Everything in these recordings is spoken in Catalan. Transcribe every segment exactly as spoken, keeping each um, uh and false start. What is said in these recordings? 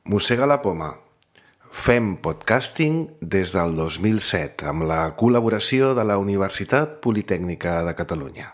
Mossega la poma. Fem podcasting des del dos mil set amb la col·laboració de la Universitat Politècnica de Catalunya.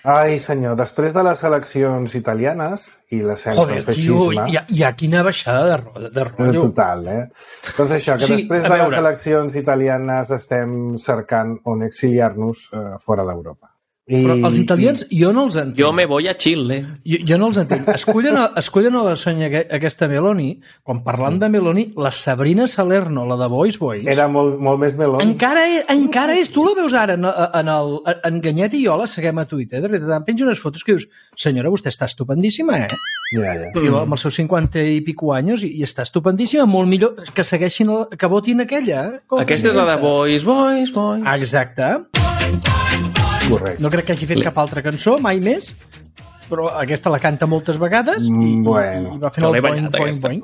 Ai, senyor, després de les eleccions italianes i l'ascens del feixisme... Joder, tio, hi ha, hi ha quina baixada de, ro de rotllo. Total, eh? Doncs això, que sí, després de les eleccions italianes estem cercant on exiliar-nos eh, fora d'Europa. I, Però els italians, i... jo no els entenc. Jo me voy a Chile. Jo, jo no els entenc. Escollen a, escollen a la Sonia aquesta Meloni, quan parlant de Meloni, la Sabrina Salerno, la de Boys Boys... Era molt, molt més Meloni. Encara és, encara és, tu la veus ara, en, en, el, en Ganyet i jo la seguem a Twitter, de veritat, em penja unes fotos que dius, senyora, vostè està estupendíssima, eh? Ja, ja. I amb els seus cinquanta i pico anys, i, i està estupendíssima, molt millor que segueixin, el, que votin aquella. Com aquesta és la de Boys Boys Boys. Exacte. Correcte. No crec que hagi fet cap altra cançó, mai més, però aquesta la canta moltes vegades i, bueno, i va fent el boing, boing, boing.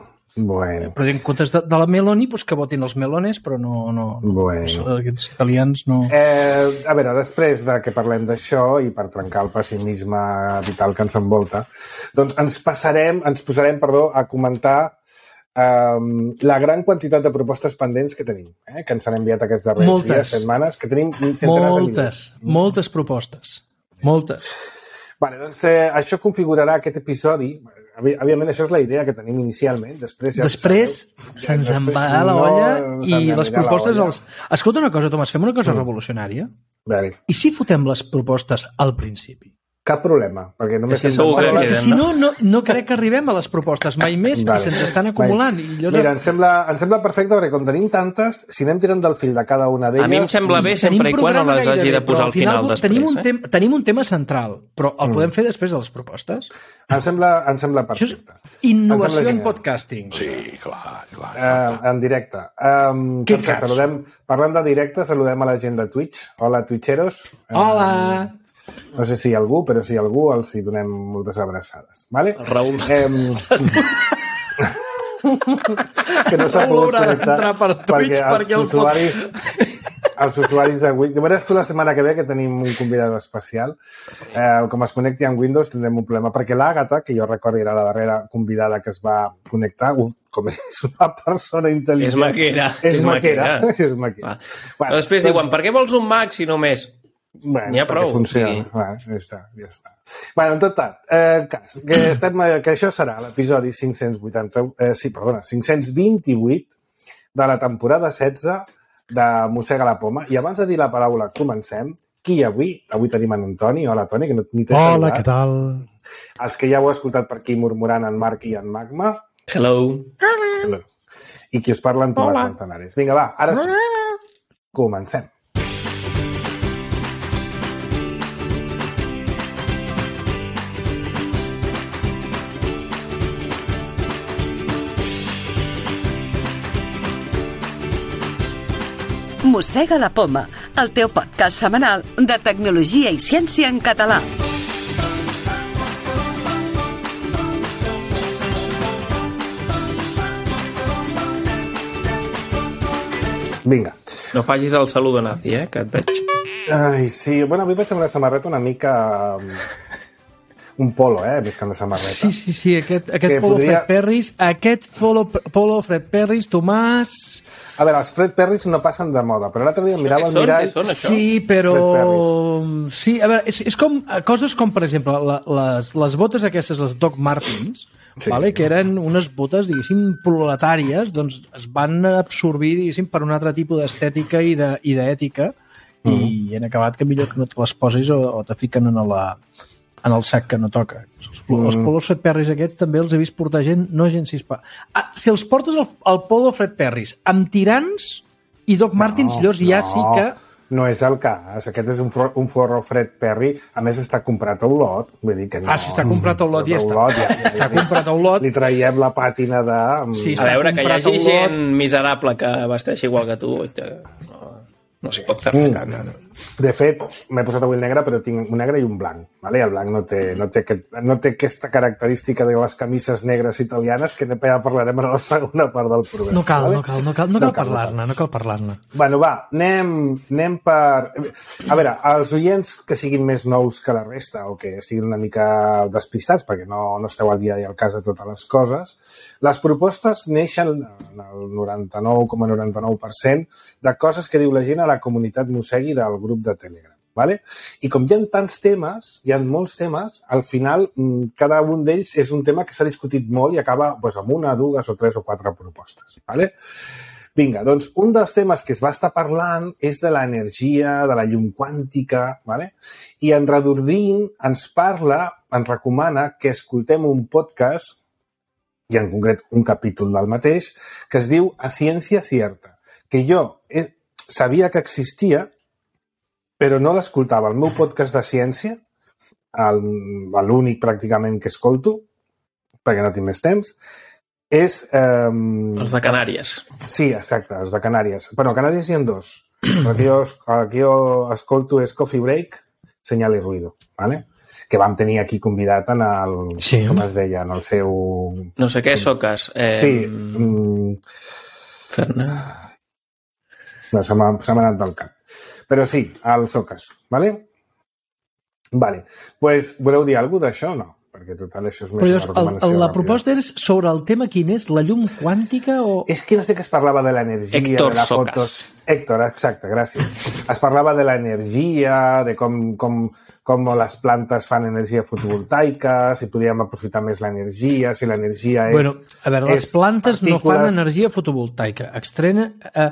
Bueno. Però en comptes de, de la Meloni, pues que votin els melones, però no... no bueno. Aquests italians no... Eh, a veure, després de que parlem d'això i per trencar el pessimisme vital que ens envolta, doncs ens passarem, ens posarem, perdó, a comentar Um, la gran quantitat de propostes pendents que tenim, eh? Que ens han enviat aquests darrers moltes. dies, setmanes, que tenim centenars moltes, de milers. Moltes propostes. Moltes. Vale, doncs eh, això configurarà aquest episodi. Òbviament, això és la idea que tenim inicialment. Després, ja després se'ns en va a la olla no i les propostes... Els... Escolta una cosa, Tomàs, fem una cosa mm. revolucionària. Vale. I si fotem les propostes al principi? Cap problema, perquè només... És que, segur que, és que si no, no, no crec que arribem a les propostes mai més vale. I se'ns estan acumulant. I jo no... Mira, em sembla, em sembla perfecte perquè com tenim tantes, si anem tirant del fil de cada una d'elles... A mi em sembla bé sempre i quan no les hagi de posar al final, final després. Tenim un, eh? tem tenim un tema central, però el mm. podem fer després de les propostes. Em sembla, em sembla perfecte. Innovació sembla en podcasting. Sí, clar, clar. Uh, en directe. Um, Què doncs, saludem, parlant de directe, saludem a la gent de Twitch. Hola, twitcheros. Hola! Um, No sé si hi ha algú, però si hi ha algú els hi donem moltes abraçades. Vale? El Raül. Eh, que no s'ha pogut connectar per Twitch perquè, perquè els, usuaris, els usuaris de Windows... Veuràs tu la setmana que ve que tenim un convidat especial. Eh, com es connecti amb Windows tindrem un problema, perquè l'Àgata, que jo recordo era la darrera convidada que es va connectar, uf, com és una persona intel·ligent... És maquera. És, és maquera. maquera. És maquera. Bueno, després doncs... diuen, per què vols un Mac si només... Bueno, n'hi ha prou. Funciona. Sí. Bueno, ja està, ja està. Bueno, en tot tal, eh, cas, que, estem, que això serà l'episodi cinc-cents vuitanta, eh, sí, perdona, cinc-cents vint-i-vuit de la temporada setze de Mossega la poma. I abans de dir la paraula comencem, qui avui? Avui tenim en Toni. Hola, Toni, que no ni t'he saludat. Hola, què tal? Els que ja ho heu escoltat per aquí murmurant en Marc i en Magma. Hello. Hello. I qui us parla en Tomàs Manzanares. Vinga, va, ara sí. Comencem. Mossega la poma, el teu podcast setmanal de tecnologia i ciència en català. Vinga. No facis el saludo nazi, eh, que et veig. Ai, sí. Bueno, avui vaig amb una samarreta una mica... un polo, eh, més que una samarreta. Sí, sí, sí, aquest, aquest polo podria... Fred Perris, aquest polo, polo Fred Perris, Tomàs... A veure, els Fred Perris no passen de moda, però l'altre dia em mirava el mirall... Són, això? Sí, però... Sí, a veure, és, és com coses com, per exemple, la, les, les botes aquestes, les Doc Martens, sí. Vale, que eren unes botes, diguéssim, proletàries, doncs es van absorbir, diguéssim, per un altre tipus d'estètica i d'ètica, mm. i han acabat que millor que no te les posis o, o te fiquen en la... en el sac que no toca. Els, mm. els polos Fred Perris aquests també els he vist portar gent, no gent cispa. Ah, si els portes al, al polo Fred Perris amb tirants i Doc Martens, no, llavors no, ja sí que... No és el cas. Aquest és un, for, un forro Fred Perry. A més, està comprat a Olot. Vull dir que no. Ah, si està comprat a Olot, ja està. Olot, ja, ja, està comprat a Olot. Li traiem la pàtina de... Sí, a veure, que hi hagi gent miserable que vesteixi igual que tu. No, no s'hi pot fer res. Mm. No, no. De fet, m'he posat avui el negre, però tinc un negre i un blanc. Vale? El blanc no té, no, té aquest, no té aquesta característica de les camises negres italianes, que ja parlarem a la segona part del programa. No cal, vale? no cal, no cal, no cal, no cal parlar-ne, no cal parlar-ne. Bueno, va, anem, anem per... A veure, els oients que siguin més nous que la resta o que estiguin una mica despistats, perquè no, no esteu al dia i al cas de totes les coses, les propostes neixen en el noranta-nou coma noranta-nou per cent de coses que diu la gent a la comunitat Mossegui del grup de Telegram. Vale? I com hi ha tants temes, hi ha molts temes, al final cada un d'ells és un tema que s'ha discutit molt i acaba doncs, amb una, dues o tres o quatre propostes. Vale? Vinga, doncs un dels temes que es va estar parlant és de l'energia, de la llum quàntica, vale? I en Redordín ens parla, ens recomana que escoltem un podcast, i en concret un capítol del mateix, que es diu A Ciencia Cierta, que jo eh, sabia que existia, però no l'escoltava. El meu podcast de ciència, l'únic pràcticament que escolto, perquè no tinc més temps, és... Eh... Els de Canàries. Sí, exacte, els de Canàries. Bueno, a Canàries hi ha dos. El que jo, el que jo escolto és Coffee Break, Señal i Ruido, ¿vale? Que vam tenir aquí convidat en el... Sí. Com es deia? En el seu... No sé què, Socas. Eh... Sí. Mm... Fer-ne... No, se m'ha anat del cap. Però sí, al Socas, ¿vale? Vale. Pues, voleu dir alguna cosa d'això o no? Perquè total això és més Però una recomanació. el, la ràpida. proposta és sobre el tema quin és? La llum quàntica o... És que no sé que es parlava de l'energia, Héctor de la Socas. fotos... Héctor, exacte, gràcies. Es parlava de l'energia, de com, com, com les plantes fan energia fotovoltaica, si podíem aprofitar més l'energia, si l'energia és... Bueno, a veure, les plantes partícules... no fan energia fotovoltaica. Extrenen, eh,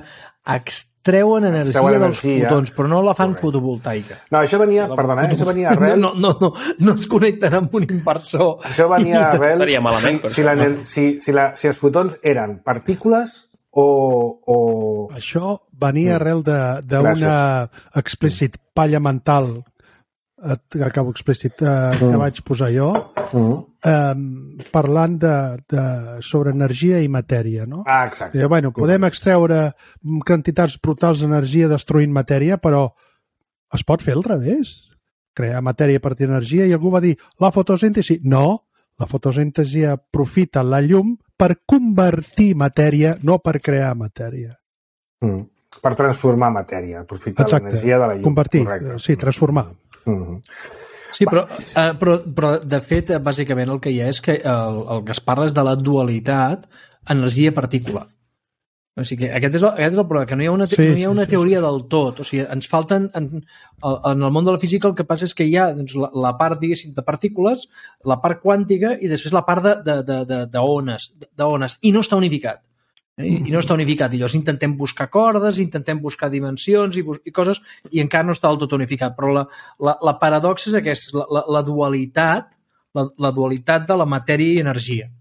extreuen energia Extreuen dels energia. fotons, però no la fan Correcte. fotovoltaica. No, això venia, perdona, eh, això venia arrel... No, no, no, no es connecten amb un inversor. Això venia arrel... Estaria malament, si, si, la, si, si, la, si els fotons eren partícules o... o... Això venia arrel d'una explícit palla mental, eh, acabo explícit, eh, que vaig posar jo, eh, parlant de, de, sobre energia i matèria, no? Ah, exacte. I, bueno, podem extreure quantitats brutals d'energia destruint matèria, però es pot fer al revés. Crear matèria a partir d'energia, i algú va dir, la fotosíntesi. No, la fotosíntesi aprofita la llum per convertir matèria, no per crear matèria. Mm. Per transformar matèria, aprofitar l'energia de la llum. Convertir, correcte. sí, transformar. Mm-hmm. Sí, però, eh, però, però de fet, bàsicament el que hi ha és que el, el que es parla és de la dualitat energia-partícula. O sigui que aquest és el, aquest és el problema, que no hi ha una, te sí, no hi ha una sí, teoria sí. del tot. O sigui, ens falten... En, en el món de la física el que passa és que hi ha doncs, la, la part, diguéssim, de partícules, la part quàntica i després la part d'ones, de, de, de, de, de ones, i no està unificat. I, i no està unificat. I llavors intentem buscar cordes, intentem buscar dimensions i, i coses, i encara no està del tot unificat. Però la, la, la paradoxa és aquesta, la, la, la dualitat, la, la dualitat de la matèria i energia.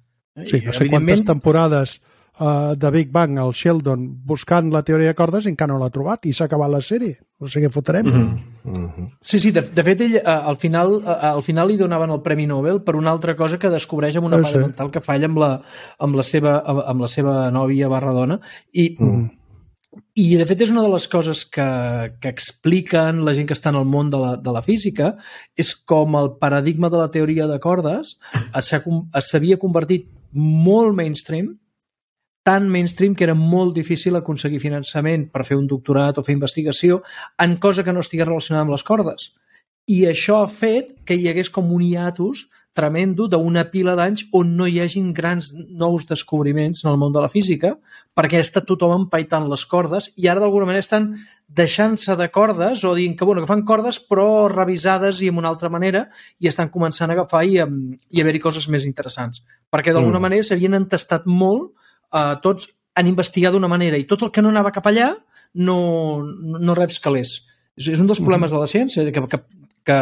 Sí, I, no sé quantes temporades uh, de Big Bang al Sheldon buscant la teoria de cordes i encara no l'ha trobat i s'ha acabat la sèrie. No sé què fotrem. Mm-hmm. Mm-hmm. Sí, sí, de, de fet ell uh, al, final, uh, al final li donaven el Premi Nobel per una altra cosa que descobreix amb una no palla sé. mental que falla amb la, amb la, seva, amb la seva nòvia barra dona i, mm. i de fet és una de les coses que, que expliquen la gent que està en el món de la, de la física, és com el paradigma de la teoria de cordes s'havia convertit molt mainstream, tan mainstream que era molt difícil aconseguir finançament per fer un doctorat o fer investigació en cosa que no estigués relacionada amb les cordes. I això ha fet que hi hagués com un hiatus tremendo d'una pila d'anys on no hi hagin grans nous descobriments en el món de la física, perquè ha estat tothom empaitant les cordes i ara d'alguna manera estan deixant-se de cordes o dient que, bueno, que fan cordes però revisades i amb una altra manera i estan començant a agafar i, i haver-hi coses més interessants. Perquè d'alguna mm. manera s'havien entestat molt. Uh, tots han investigat d'una manera i tot el que no anava cap allà no, no reps calés. És, és un dels problemes de la ciència, que, que, que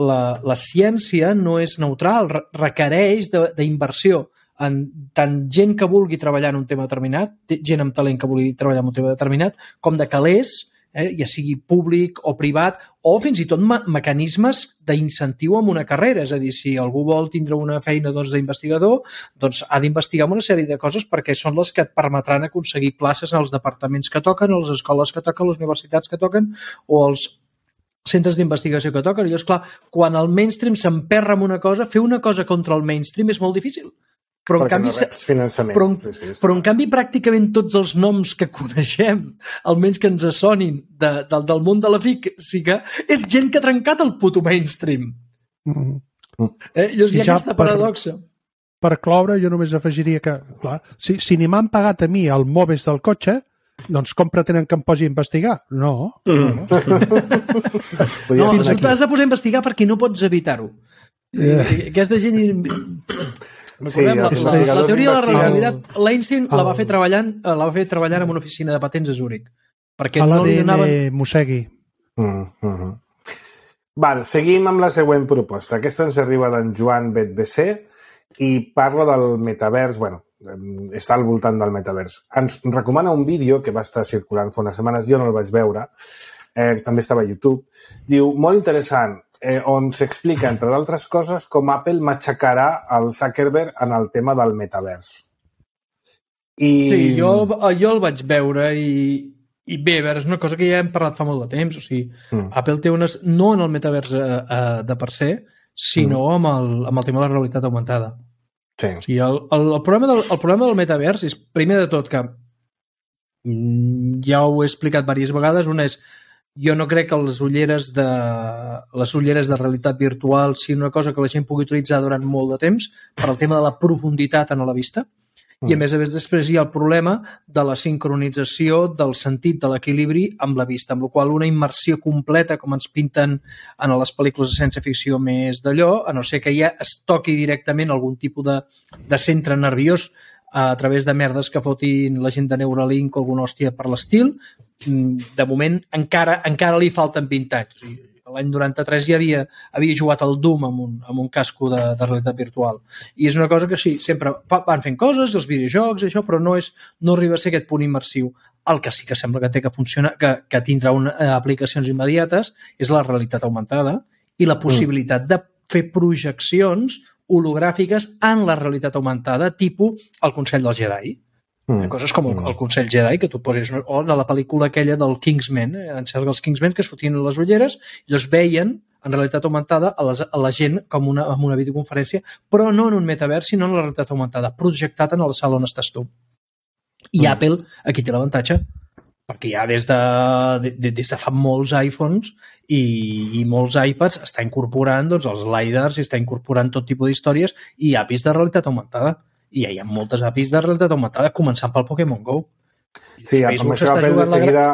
la, la ciència no és neutral, re requereix d'inversió en tant gent que vulgui treballar en un tema determinat, gent amb talent que vulgui treballar en un tema determinat, com de calés eh, ja sigui públic o privat, o fins i tot me mecanismes d'incentiu en una carrera. És a dir, si algú vol tindre una feina doncs, d'investigador, doncs ha d'investigar una sèrie de coses perquè són les que et permetran aconseguir places als departaments que toquen, a les escoles que toquen, a les universitats que toquen o als centres d'investigació que toquen. I llavors, clar, quan el mainstream s'emperra en una cosa, fer una cosa contra el mainstream és molt difícil. Però en, canvi, no però, sí, sí, però en canvi pràcticament tots els noms que coneixem, almenys que ens sonin de, de, del món de la física, és gent que ha trencat el puto mainstream. Mm. Eh? Llavors hi ha aquesta per, paradoxa. Per cloure, jo només afegiria que, clar, si, si ni m'han pagat a mi el Moves del cotxe, doncs com pretenen que em posi a investigar? No. Mm. No, no tu t'has de posar a investigar perquè no pots evitar-ho. Eh. Aquesta gent... Sí, la, la, la teoria de la relativitat, l'Einstein la va fer treballant la va fer treballant en una oficina de patents a Zúrich. Perquè a no li donaven... mossegui. Mm, mm -hmm. Val, seguim amb la següent proposta. Aquesta ens arriba d'en Joan Betbc i parla del metavers, bueno, està al voltant del metavers. Ens recomana un vídeo que va estar circulant fa unes setmanes, jo no el vaig veure, eh, també estava a YouTube. Diu, molt interessant, Eh, on s'explica, entre d'altres coses, com Apple matxacarà el Zuckerberg en el tema del metavers. I... Sí, jo, jo el vaig veure i, i bé, a veure, és una cosa que ja hem parlat fa molt de temps. O sigui, mm. Apple té unes... No en el metavers eh, eh, de per se, sinó mm. amb, el, amb el tema de la realitat augmentada. Sí. O sigui, el, el, el, problema del, el problema del metavers és, primer de tot, que ja ho he explicat diverses vegades, una és jo no crec que les ulleres de les ulleres de realitat virtual siguin una cosa que la gent pugui utilitzar durant molt de temps per al tema de la profunditat en la vista. Mm. I a més a més després hi ha el problema de la sincronització del sentit de l'equilibri amb la vista, amb la qual una immersió completa, com ens pinten en les pel·lícules de ciència-ficció més d'allò, a no ser que ja es toqui directament algun tipus de, de centre nerviós a través de merdes que fotin la gent de Neuralink o alguna hòstia per l'estil, de moment encara encara li falten vint anys. O sigui, l'any noranta-tres ja havia, havia jugat al Doom amb un, amb un casco de, de realitat virtual. I és una cosa que sí, sempre fa, van fent coses, els videojocs, això, però no, és, no arriba a ser aquest punt immersiu. El que sí que sembla que té que funcionar, que, que tindrà una, eh, aplicacions immediates, és la realitat augmentada i la possibilitat mm. de fer projeccions hologràfiques en la realitat augmentada, tipus el Consell del Jedi. Mm. Coses com el, el Consell Jedi, que tu posis, o en la pel·lícula aquella del Kingsman, eh? En certs dels Kingsmen que es fotien les ulleres i els veien en realitat augmentada a, les, a la gent com una, amb una videoconferència, però no en un metavers, sinó en la realitat augmentada, projectat en la sala on estàs tu. I mm. Apple aquí té l'avantatge, perquè ja des de, de, des de fa molts iPhones i, i molts iPads està incorporant doncs, els lidars i està incorporant tot tipus d'històries i A P Is de realitat augmentada. I ja hi ha moltes A P Is de realitat augmentada, començant pel Pokémon Go. Sí, amb això Apple de seguida,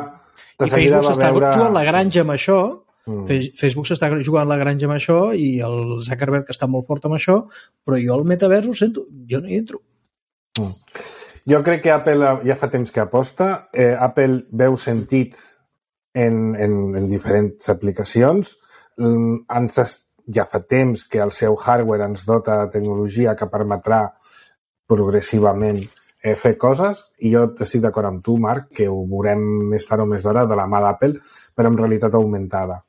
de seguida va veure... Facebook s'està jugant la granja amb això, mm. Facebook s'està jugant la granja amb això i el Zuckerberg està molt fort amb això, però jo al metavers ho sento, jo no hi entro. Mm. Jo crec que Apple ja fa temps que aposta. Eh, Apple veu sentit en, en, en diferents aplicacions. Mm, ens, ja fa temps que el seu hardware ens dota de tecnologia que permetrà progressivament eh, fer coses, i jo estic d'acord amb tu, Marc, que ho veurem més tard o més d'hora de la mà d'Apple, però amb realitat augmentada.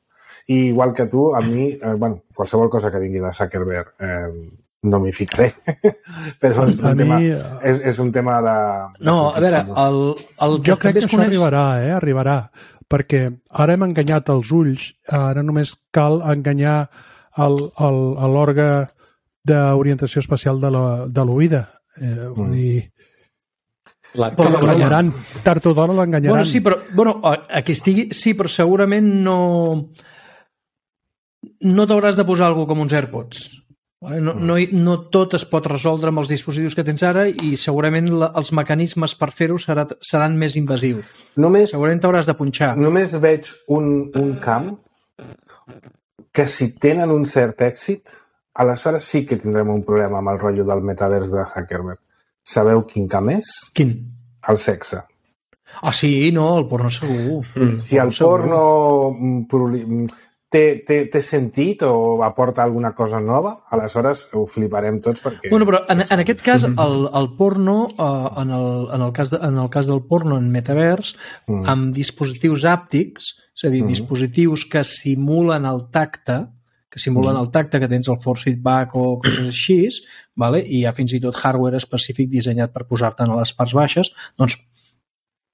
I igual que tu, a mi, eh, bueno, qualsevol cosa que vingui de Zuckerberg eh, no m'hi ficaré, però és un, tema, mi... és, és un tema de... de no, a veure, el, el jo crec que això coneix... arribarà, eh? Arribarà, perquè ara hem enganyat els ulls, ara només cal enganyar l'òrga d'orientació espacial de l'oïda. Eh, vull mm. dir... L'enganyaran, tard o d'hora l'enganyaran. Bueno, sí, però, bueno, aquí estigui, sí, però segurament no no t'hauràs de posar alguna com uns AirPods. No, no, no tot es pot resoldre amb els dispositius que tens ara i segurament la, els mecanismes per fer-ho serà, seran més invasius. Només, segurament t'hauràs de punxar. Només veig un, un camp que si tenen un cert èxit, aleshores sí que tindrem un problema amb el rotllo del metavers de Zuckerberg. Sabeu quin camp és? Quin? El sexe. Ah, sí, no, el porno segur. Mm. Si el porno té, té, té sentit o aporta alguna cosa nova, aleshores ho fliparem tots perquè... Bueno, però en, en aquest cas, el, el porno, uh, en, el, en, el cas de, en el cas del porno en metavers, mm. amb dispositius àptics, és a dir, mm. dispositius que simulen el tacte, que simulen mm. el tacte, que tens el force feedback o coses així, vale? I hi ha fins i tot hardware específic dissenyat per posar-te a les parts baixes, doncs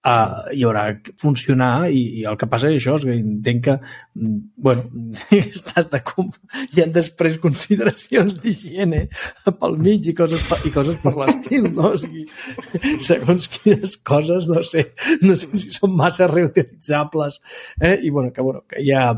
Uh, hi haurà que funcionar i, i el que passa és això, és que entenc que bueno, estàs de com... hi ha després consideracions d'higiene pel mig i coses, i coses per l'estil, no? O sigui, segons quines coses, no sé, no sé si són massa reutilitzables, eh? I bueno, que, bueno, que hi ha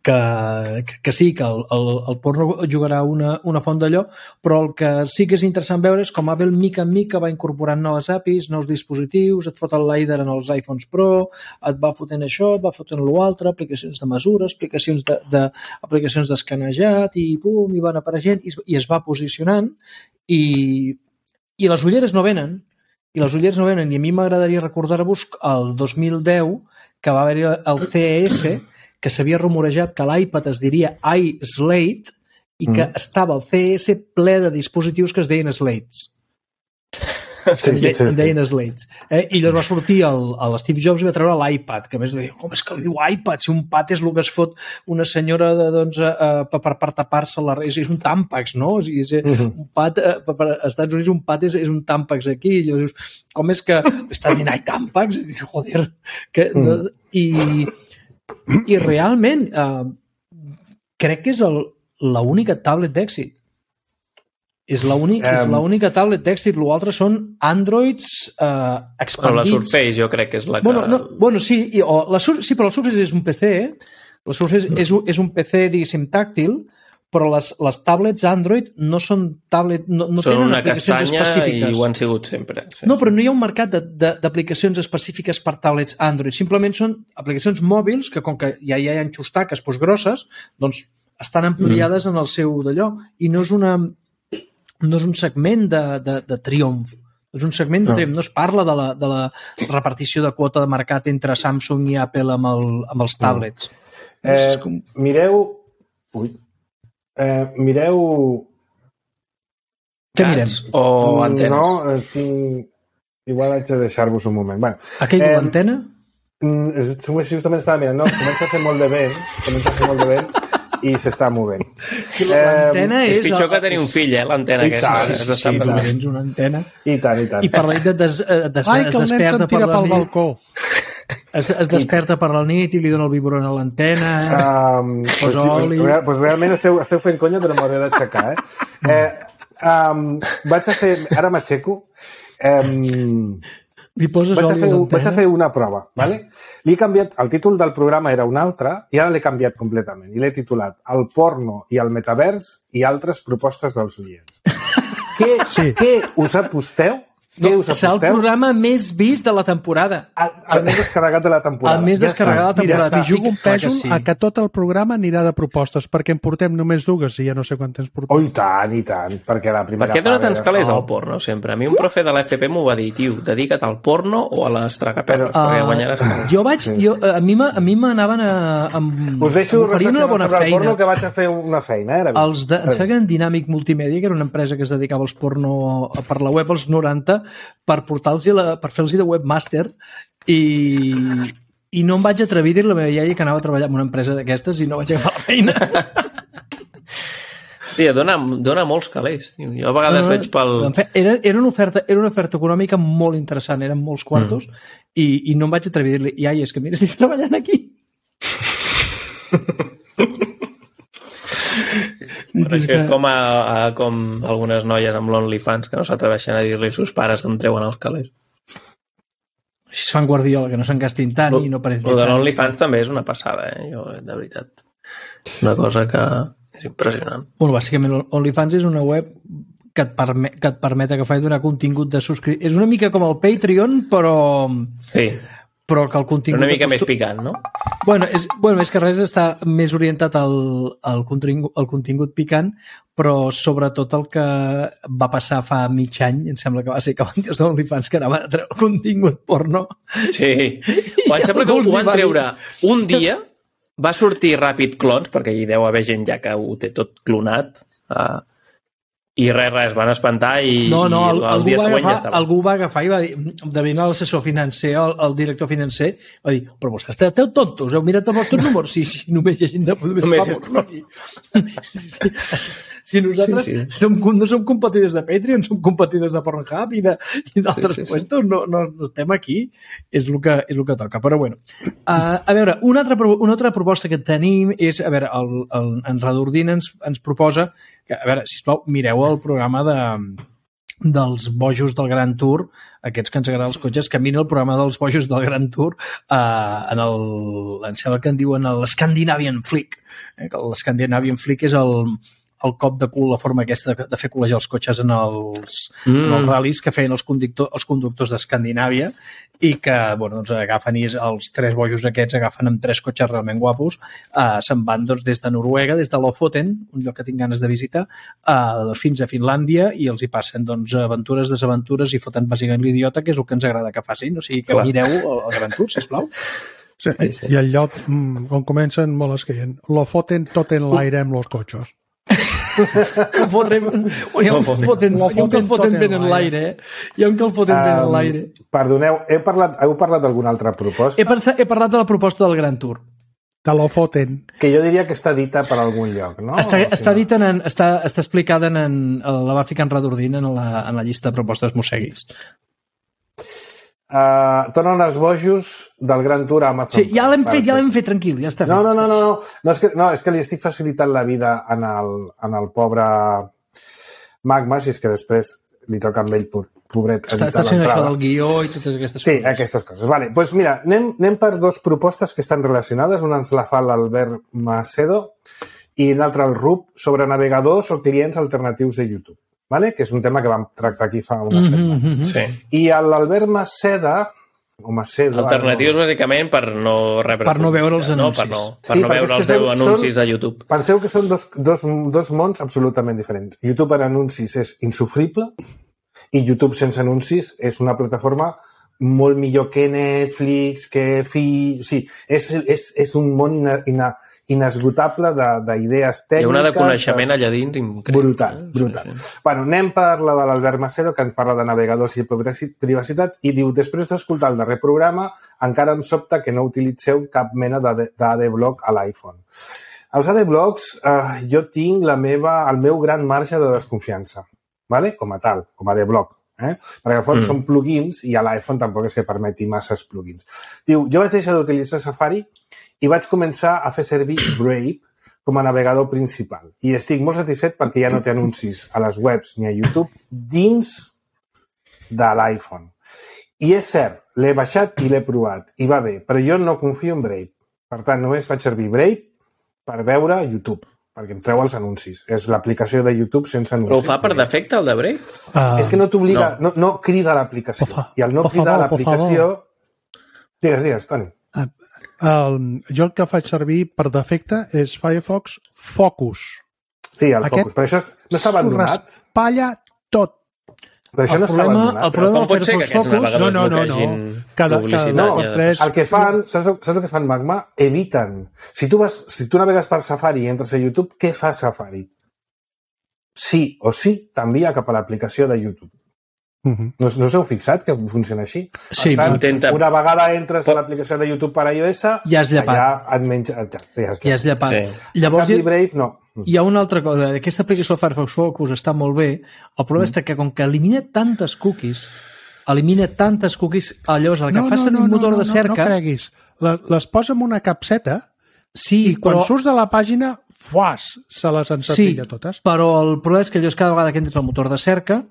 que, que, que sí, que el, el, el porno jugarà una, una font d'allò, però el que sí que és interessant veure és com Apple mica en mica va incorporant noves A P Is, nous dispositius, et fot el LiDAR en els iPhones Pro, et va fotent això, et va fotent l'altre, aplicacions de mesura, aplicacions de, de, aplicacions d'escanejat, i pum, i van apareixent, i, i es va posicionant, i, i les ulleres no venen, i les ulleres no venen, i a mi m'agradaria recordar-vos el dos mil deu que va haver-hi el C E S, que s'havia rumorejat que l'iPad es diria iSlate i que mm. estava el C E S ple de dispositius que es deien Slates. Sí, de, sí, sí. Deien Slates. Eh? I llavors va sortir el, el Steve Jobs i va treure l'iPad, que a més deia, com és que li diu iPad? Si un pad és el que es fot una senyora de, doncs, uh, per, per tapar-se la res, és un Tampax, no? O sigui, és, uh-huh. un pad, uh, per als Estats Units un pad és, és un Tampax aquí. I llavors dius, com és que estàs dient, ai, Tampax? I dius, joder, que... Mm. No? I... I realment eh, crec que és el, l'única tablet d'èxit. És l'única um, és l'única tablet d'èxit. L'altre són Androids eh, expandits. Però la Surface jo crec que és la que... Bueno, no, bueno sí, i, o la Sur... sí, però la Surface és un P C. La Surface és, un, és un P C, diguéssim, tàctil, però les, les tablets Android no són tablet, no, no són tenen una aplicacions específiques. I ho han sigut sempre. Sí, no, però no hi ha un mercat de, de, d'aplicacions específiques per tablets Android. Simplement són aplicacions mòbils que, com que ja hi ha enxustaques pues, grosses, doncs estan ampliades mm. en el seu d'allò. I no és, una, no és un segment de, de, de triomf. És un segment de no. triomf. No es parla de la, de la repartició de quota de mercat entre Samsung i Apple amb, el, amb els tablets. No. Eh, com... Mireu... Ui. Eh, mireu... Què mirem? O antenes? No, tinc... Igual haig de deixar-vos un moment. Bueno, aquell eh, l'antena? Justament estava mirant, no? Comença a fer molt de vent, comença a fer molt de vent i s'està movent. L'antena eh, és... És pitjor el... que tenir un fill, eh, l'antena aquesta. Sí, sí, sí, tu tens una antena. I tant, i tant. I per la nit des, des, Ai, que el nen se'n tira pel balcó. Es, es desperta per la nit i li dona el biberon a l'antena, um, posa pues, oli... Pues, pues realment esteu, esteu fent conya, però m'hauré d'aixecar, eh? eh um, vaig a fer... Ara m'aixeco. Um, li poses vaig oli a fer, a l'antena? Vaig a fer una prova, ¿vale? Li he canviat... El títol del programa era un altre i ara l'he canviat completament. I l'he titulat El porno i el metavers i altres propostes dels oients. què, sí. què us aposteu? No, serà el programa més vist de la temporada. El, el més descarregat de la temporada. El més ja descarregat de la temporada. M'hi jugo un pèsol sí. a que tot el programa anirà de propostes, perquè en portem només dues i ja no sé quant temps portem. Oh, i tant, i tant. Perquè la primera per què dona tants calés al porno, sempre? A mi un profe de l'F P m'ho va dir, tio, dedica't al porno o a les tragaperres, uh, perquè guanyaràs. Jo vaig... Sí. Jo, a mi m'anaven a... a Us deixo reflexionar sobre feina. El porno que vaig a fer una feina. Eh? Els de, em sembla Dynamic Multimèdia, que era una empresa que es dedicava als porno per la web als noranta, per portar La, per fer-los de webmaster i, i no em vaig atrevir a dir a la meva iaia que anava a treballar en una empresa d'aquestes i no vaig agafar la feina. Tia, dona, dona molts calés. Jo a vegades uh, veig pel... Era, era, una oferta, era una oferta econòmica molt interessant, eren molts quartos mm. i, i no em vaig atrevir a dir-li, iaia, és que mira, estic treballant aquí. Però és que és com, a, a, com algunes noies amb l'OnlyFans que no s'atreveixen a dir-li als seus pares d'on treuen els calés. Així es fan Guardiola, que no se'n gastin tant o, i no pareixin tant. O de l'OnlyFans també és una passada, eh? Jo, de veritat. Una cosa que és impressionant. Bueno, bàsicament l'OnlyFans és una web que et, permet, que et permet agafar i donar contingut de subscripció. És una mica com el Patreon, però... Sí. Però que el contingut... Una mica costu... més picant, no? Bueno, és, bueno, més que res està més orientat al, al, contingut, al contingut picant, però sobretot el que va passar fa mig any, em sembla que va ser que van dir els OnlyFans que anaven a treure contingut porno. Sí. O em sembla que ho van treure un dia va sortir ràpid clons, perquè hi deu haver gent ja que ho té tot clonat, uh, i res, res, van espantar i, no, no, el, i el dia següent agafar, ja estava. Algú va agafar i va dir, de venir a l'assessor financer, el, el director financer, va dir, però vostès esteu tontos, heu mirat els vostres números? Sí, sí, només hi ha gent de... Només fa porno aquí. Sí, sí. Si nosaltres sí, sí. Som, no som competidors de Patreon, som competidors de Pornhub i d'altres sí, sí, puestos, sí. No, no, no estem aquí, és el que, és el que toca. Però bueno, uh, a veure, una altra, una altra proposta que tenim és, a veure, el, el, en Radordin ens, ens proposa que, a veure, sisplau, mireu el programa de, dels bojos del Gran Tour, aquests que ens agraden els cotxes, que mira el programa dels bojos del Gran Tour uh, en el, em sembla que en diuen l'Scandinavian Flick, eh, que l'Scandinavian Flick és el el cop de cul, la forma aquesta de, de fer col·legiar els cotxes en els, mm. en els ral·lis que feien els, conductor, els conductors d'Escandinàvia i que, bueno, doncs agafen i els tres bojos aquests agafen amb tres cotxes realment guapos, uh, se'n van doncs, des de Noruega, des de Lofoten, un lloc que tinc ganes de visitar, uh, doncs, fins a Finlàndia i els hi passen doncs, aventures, desaventures i foten bàsicament l'idiota, que és el que ens agrada que facin. O sigui, que Clar. mireu el, el Gran Tour, sisplau. Sí, sí. I el lloc mm, on comencen molt escaient. Lofoten tot en l'aire amb els cotxes. Que fotrem, hi ha un foten, hi ha un que el foten ben en l'aire, eh? Hi ha un que el foten ben en l'aire. Perdoneu, he parlat, heu parlat d'alguna altra proposta? He, he parlat de la proposta del Gran Tour. De l'Ofoten. Que jo diria que està dita per algun lloc, no? Està, o si està no? dita en, està, està explicada en, en la va ficar en Radordin en la, en la llista de propostes mosseguis. Uh, tornen els bojos del Gran Tour a Amazon. Sí, ja l'hem fet, ja l'hem fet, tranquil, ja està fet. No, no, no, no, no. No, és que, no, és que li estic facilitant la vida en el, en el pobre Magma, si és que després li toca amb ell, pobret, està, està fent això del guió i totes aquestes sí, coses. Sí, aquestes coses. Vale, doncs mira, anem, anem per dues propostes que estan relacionades. Una ens la fa l'Albert Macedo i l'altra el Rup sobre navegadors o clients alternatius de YouTube. Vale? Que és un tema que vam tractar aquí fa unes setmanes. Mm -hmm. Sí. I l'Albert Maceda, o Macedo... Alternatius, no... bàsicament, per no rebre... Per no veure els anuncis. No, per no, per sí, no veure els deu anuncis són, de YouTube. Penseu que són dos, dos, dos mons absolutament diferents. YouTube en anuncis és insufrible i YouTube sense anuncis és una plataforma molt millor que Netflix, que Fi... Sí, és, és, és un món ina, ina, inesgotable d'idees tècniques. Hi ha una de coneixement allà dins increïble. Brutal, brutal. Sí, sí. Bueno, anem per la de l'Albert Macedo, que ens parla de navegadors i privacitat, i diu, després d'escoltar el darrer programa, encara em sobta que no utilitzeu cap mena d'Adblock a l'iPhone. Els Adblocks, eh, jo tinc la meva, el meu gran marge de desconfiança, ¿vale? Com a tal, com a Adblock. Eh? Perquè al fons mm. són plugins i a l'iPhone tampoc és que permeti masses plugins. Diu, jo vaig deixar d'utilitzar Safari i vaig començar a fer servir Brave com a navegador principal. I estic molt satisfet perquè ja no té anuncis a les webs ni a YouTube dins de l'iPhone. I és cert, l'he baixat i l'he provat i va bé, però jo no confio en Brave. Per tant, només faig servir Brave per veure YouTube, perquè em treu els anuncis. És l'aplicació de YouTube sense anuncis. Però ho fa per defecte, el de Brave? Uh, és que no t'obliga, no. no, no crida l'aplicació. I al no cridar l'aplicació... Digues, digues, Toni. Uh, um, jo el que faig servir per defecte és Firefox Focus. Sí, el Aquest Focus, però això no està abandonat. Palla tot. Però això el no problema, està abandonat. El problema com pot ser que aquests navegadors no, no, no, no. Cada, cada no, tres... El que fan, saps, saps el que fan Magma? Eviten. Si tu, vas, si tu navegues per Safari i entres a YouTube, què fa Safari? Sí o sí t'envia cap a l'aplicació de YouTube. Uh-huh. No, no us heu fixat que funciona així? Sí, tant, intenta... Una vegada entres Pot... a l'aplicació de YouTube per iOS, ja has llepat. Ja et menja... Ja, ja has, ja has llepat. Sí. Llavors, hi... Brave, no. Hi ha una altra cosa. Aquesta aplicació de Firefox Focus està molt bé. El problema mm. és que com que elimina tantes cookies, elimina tantes cookies, llavors el que no, fa servir no, no, un motor no, no, de cerca... No, no creguis. Les, les posa en una capseta sí, i quan però... surts de la pàgina, fuàs, se les ensatilla sí, totes. Però el problema és que llavors cada vegada que entres al motor de cerca,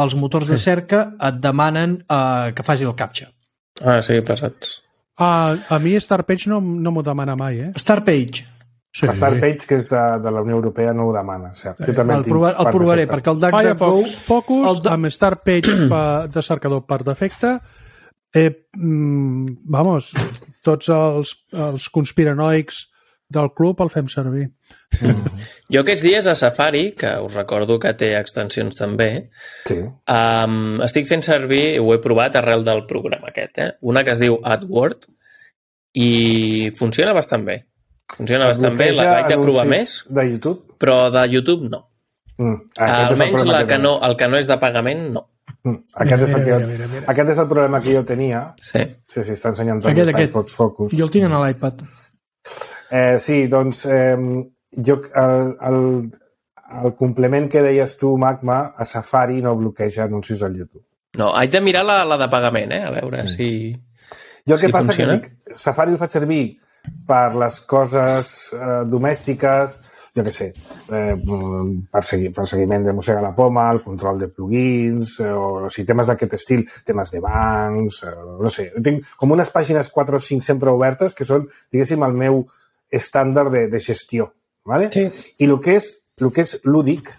els motors de cerca et demanen uh, que faci el captcha. Ah, sí, passats. Uh, a mi Startpage no, no m'ho demana mai, eh? Startpage. Sí. Startpage, que és de, de la Unió Europea, no ho demana. Cert. Jo també el, provar, el provaré, perquè el DuckDuckGo... Firefox Focus, el de... amb Startpage de cercador per defecte. Eh, mm, vamos, tots els, els conspiranoics del club el fem servir. Mm. Jo aquests dies a Safari, que us recordo que té extensions també, sí. um, estic fent servir, ho he provat arrel del programa aquest, eh? Una que es diu AdWord i funciona bastant bé. Funciona bastant bé, la vaig de provar més. De YouTube? Però de YouTube no. Mm. Almenys el, la que no, el que no és de pagament, no. Mm. Aquest, és el que jo, mira, mira. aquest és el problema que jo tenia. Sí. Sí, sí, està ensenyant tot el Firefox Focus. Jo el tinc a l'iPad. Eh, sí, doncs eh, jo, el, el, el complement que deies tu, Magma, a Safari no bloqueja anuncis al YouTube. No, haig de mirar la, la de pagament, eh? A veure mm. si Jo el que si passa funciona. que dic, Safari el faig servir per les coses eh, domèstiques, jo què sé, eh, per, segui, per seguiment de mossega la poma, el control de plugins, eh, o, o sigui, temes d'aquest estil, temes de bancs, eh, no sé. Tinc com unes pàgines quatre o cinc sempre obertes que són, diguéssim, el meu estàndard de, de gestió. ¿Vale? Sí. I el que és, el que és lúdic,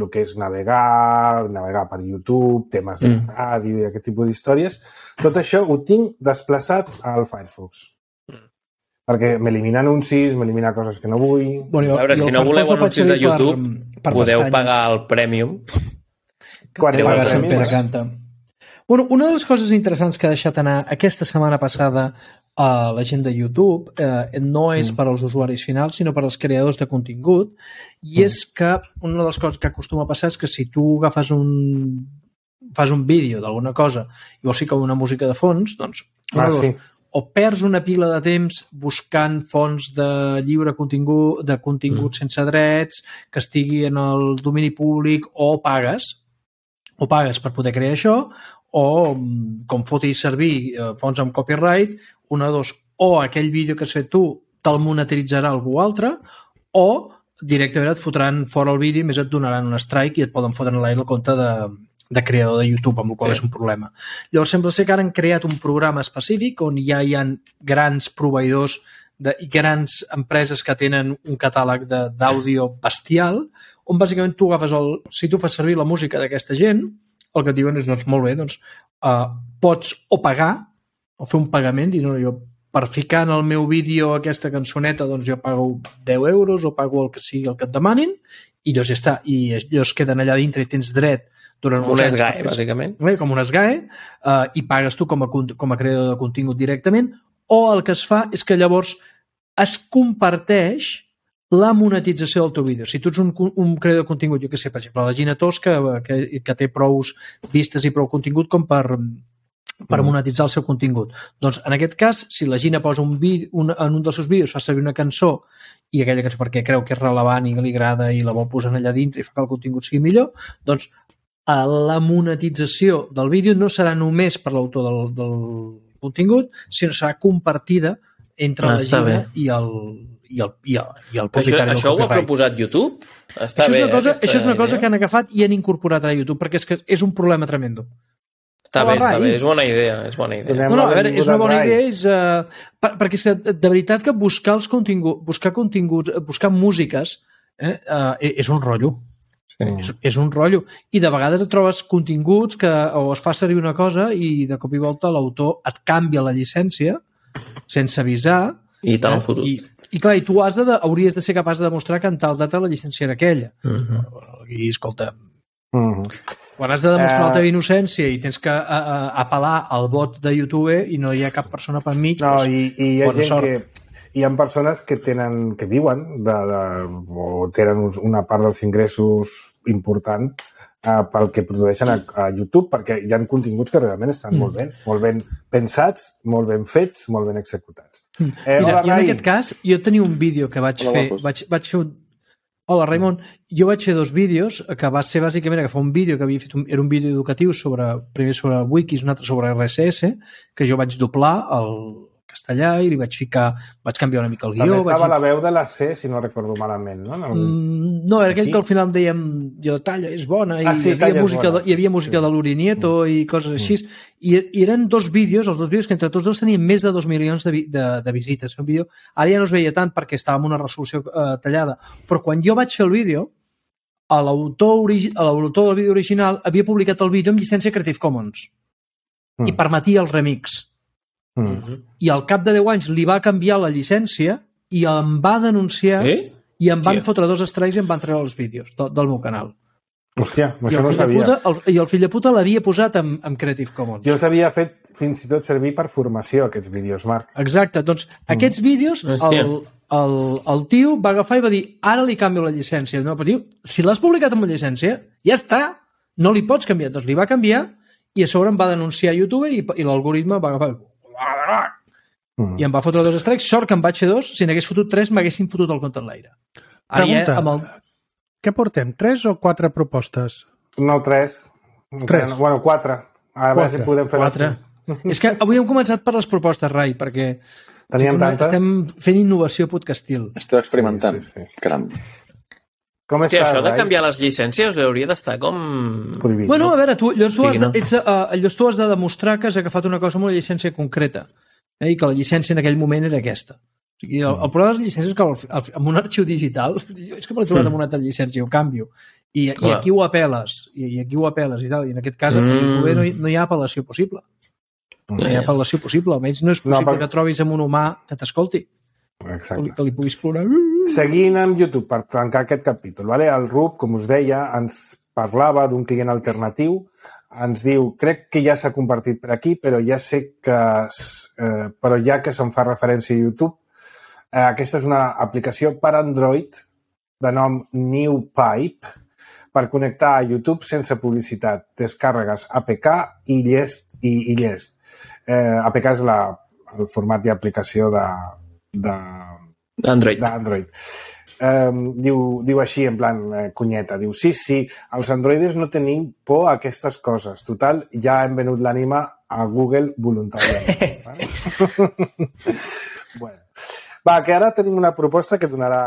el que és navegar, navegar per YouTube, temes de mm. ràdio i aquest tipus d'històries, tot això ho tinc desplaçat al Firefox. Perquè m'elimina anuncis, m'elimina coses que no vull... Bueno, a veure, si no voleu anuncis de YouTube, per, per podeu pestanyes. Pagar el Premium. Quan és el Premium? Canta. Bueno, una de les coses interessants que ha deixat anar aquesta setmana passada a la gent de YouTube eh, no és mm. per als usuaris finals, sinó per als creadors de contingut, i mm. és que una de les coses que acostuma a passar és que si tu agafes un fas un vídeo d'alguna cosa i vols ficar una música de fons, doncs ah, sí. o perds una pila de temps buscant fonts de lliure contingut, de contingut mm. sense drets, que estigui en el domini públic, o pagues, o pagues per poder crear això, o com fotis servir eh, fonts amb copyright, una o dos, o aquell vídeo que has fet tu te'l monetitzarà algú altre, o directament et fotran fora el vídeo i més et donaran un strike i et poden fotre en l'aire el compte de, de creador de YouTube, amb el qual sí. és un problema. Llavors sembla ser que ara han creat un programa específic on ja hi ha grans proveïdors de, i grans empreses que tenen un catàleg d'àudio bestial, on bàsicament tu agafes el... Si tu fas servir la música d'aquesta gent, el que et diuen és, doncs, molt bé, doncs, uh, pots o pagar, o fer un pagament, i no, jo per ficar en el meu vídeo aquesta cançoneta, doncs jo pago deu euros o pago el que sigui el que et demanin, i llavors ja està. I ells queden allà dintre i tens dret durant un S G A E, bàsicament. Com un S G A E, uh, i pagues tu com a, com a creador de contingut directament, o el que es fa és que llavors es comparteix la monetització del teu vídeo. Si tu ets un, un creador de contingut, jo què sé, per exemple, la Gina Tosca, que, que té prou vistes i prou contingut com per, per monetitzar el seu contingut. Doncs, en aquest cas, si la Gina posa un vídeo, un, en un dels seus vídeos fa servir una cançó, i aquella cançó perquè creu que és relevant i que li agrada i la vol posar allà dintre i fa que el contingut sigui millor, doncs la monetització del vídeo no serà només per l'autor del, del contingut, sinó serà compartida entre ah, la Gina i el, i el, i el, i el propietari. Això, això ho ha proposat YouTube? Està això, bé, és una cosa, això és una cosa idea? que han agafat i han incorporat a YouTube, perquè és que és un problema tremendo. Està bé, està bé, és bona idea, és bona idea. No, no, a veure, és una bona idea, és, uh, per, perquè és que de veritat que buscar els continguts, buscar continguts, buscar músiques, eh, uh, és un rotllo. Sí. És, és un rotllo. I de vegades et trobes continguts que o es fa servir una cosa i de cop i volta l'autor et canvia la llicència sense avisar. I te l'han fotut. I, I clar, i tu has de, hauries de ser capaç de demostrar que en tal data la llicència era aquella. Uh-huh. I escolta, uh-huh. quan has de demostrar uh... la teva innocència i tens que a, a, apel·lar al vot de YouTube i no hi ha cap persona per mig... No, doncs, i, i hi ha gent sort. que... Hi ha persones que tenen que viuen de, de, o tenen una part dels ingressos important eh, pel que produeixen a, a YouTube, perquè hi ha continguts que realment estan mm. molt ben, molt ben pensats, molt ben fets, molt ben executats. Mm. Eh, Mira, hola, jo en aquest cas, jo tenia un vídeo que vaig hola, fer... Vaig, vaig fer un... Hola, Raimon. Jo vaig fer dos vídeos que va ser bàsicament agafar un vídeo que havia fet, un, era un vídeo educatiu sobre, primer sobre Wikis, un altre sobre R S S, que jo vaig doblar el castellà i li vaig ficar, vaig canviar una mica el guió. També estava vaig... la veu de la C, si no recordo malament, no? No, mm, no era aquell Aquí? Que al final dèiem jo, talla, és bona, i ah, sí, hi havia música, de, hi havia música sí. de l'Uri Nieto mm. i coses així, mm. I, i eren dos vídeos, els dos vídeos que entre tots dos tenien més de dos milions de, de, de visites. Un vídeo, ara ja no es veia tant perquè estava en una resolució eh, tallada, però quan jo vaig fer el vídeo, l'autor del vídeo original havia publicat el vídeo amb llicència Creative Commons mm. i permetia el remix. Mm. I al cap de deu anys li va canviar la llicència i em va denunciar eh? i em van sí. fotre dos strikes i em van treure els vídeos del, del meu canal. Hòstia, això no sabia. Puta, el, I el fill de puta l'havia posat amb, amb Creative Commons. Jo els havia fet fins i tot servir per formació, aquests vídeos, Marc. Exacte, doncs mm. aquests vídeos el, el, el tio va agafar i va dir ara li canvio la llicència. No, però tio, si l'has publicat amb llicència, ja està, no li pots canviar. Doncs li va canviar i a sobre em va denunciar a YouTube i, i l'algoritme va agafar mm. i em va fotre dos strikes. Sort que en vaig fer dos, si n'hagués fotut tres m'haguessin fotut el compte enlaire. Ara Pregunta, ja, amb el... què portem? Tres o quatre propostes? No, tres. Tres. Bueno, quatre. A veure si podem fer quatre. És que avui hem començat per les propostes, Rai, perquè Teníem tantes. estem fent innovació podcastil. Esteu experimentant. Sí, sí, sí. Caram. Com Sí, està, això de Rai? canviar les llicències hauria d'estar com... Prohibit, Bueno, no? a veure, tu, llavors, tu, has Sí, de, no? ets, uh, llavors tu has de demostrar que has agafat una cosa amb una llicència concreta eh, i que la llicència en aquell moment era aquesta. O sigui, el, el problema de les llicències és que el, el, amb un arxiu digital és que me l'he trobat amb una altra llicència, ho canvio. I, i Clar. aquí ho apel·les, i, i aquí ho apel·les i tal, i en aquest cas Mm. mm. no, hi, no hi ha apel·lació possible. No hi ha apel·lació possible, almenys no és possible No, no, perquè- que trobis amb un humà que t'escolti, que, li- Exacte. que li puguis plorar. Seguint amb YouTube, per tancar aquest capítol, vale? El Rub, com us deia, ens parlava d'un client alternatiu, ens diu, crec que ja s'ha compartit per aquí, però ja sé que... Eh, però ja que se'n fa referència a YouTube, eh, aquesta és una aplicació per Android de nom NewPipe, per connectar a YouTube sense publicitat. Descàrregues A P K i llest. I, i llest. Eh, A P K és la, el format d'aplicació de, de, Android. d'Android. Um, diu, diu així, en plan eh, cunyeta, diu, sí, sí, els androides no tenim por a aquestes coses. Total, ja hem venut l'ànima a Google voluntàriament. Vale? Bueno. Va, que ara tenim una proposta que donarà,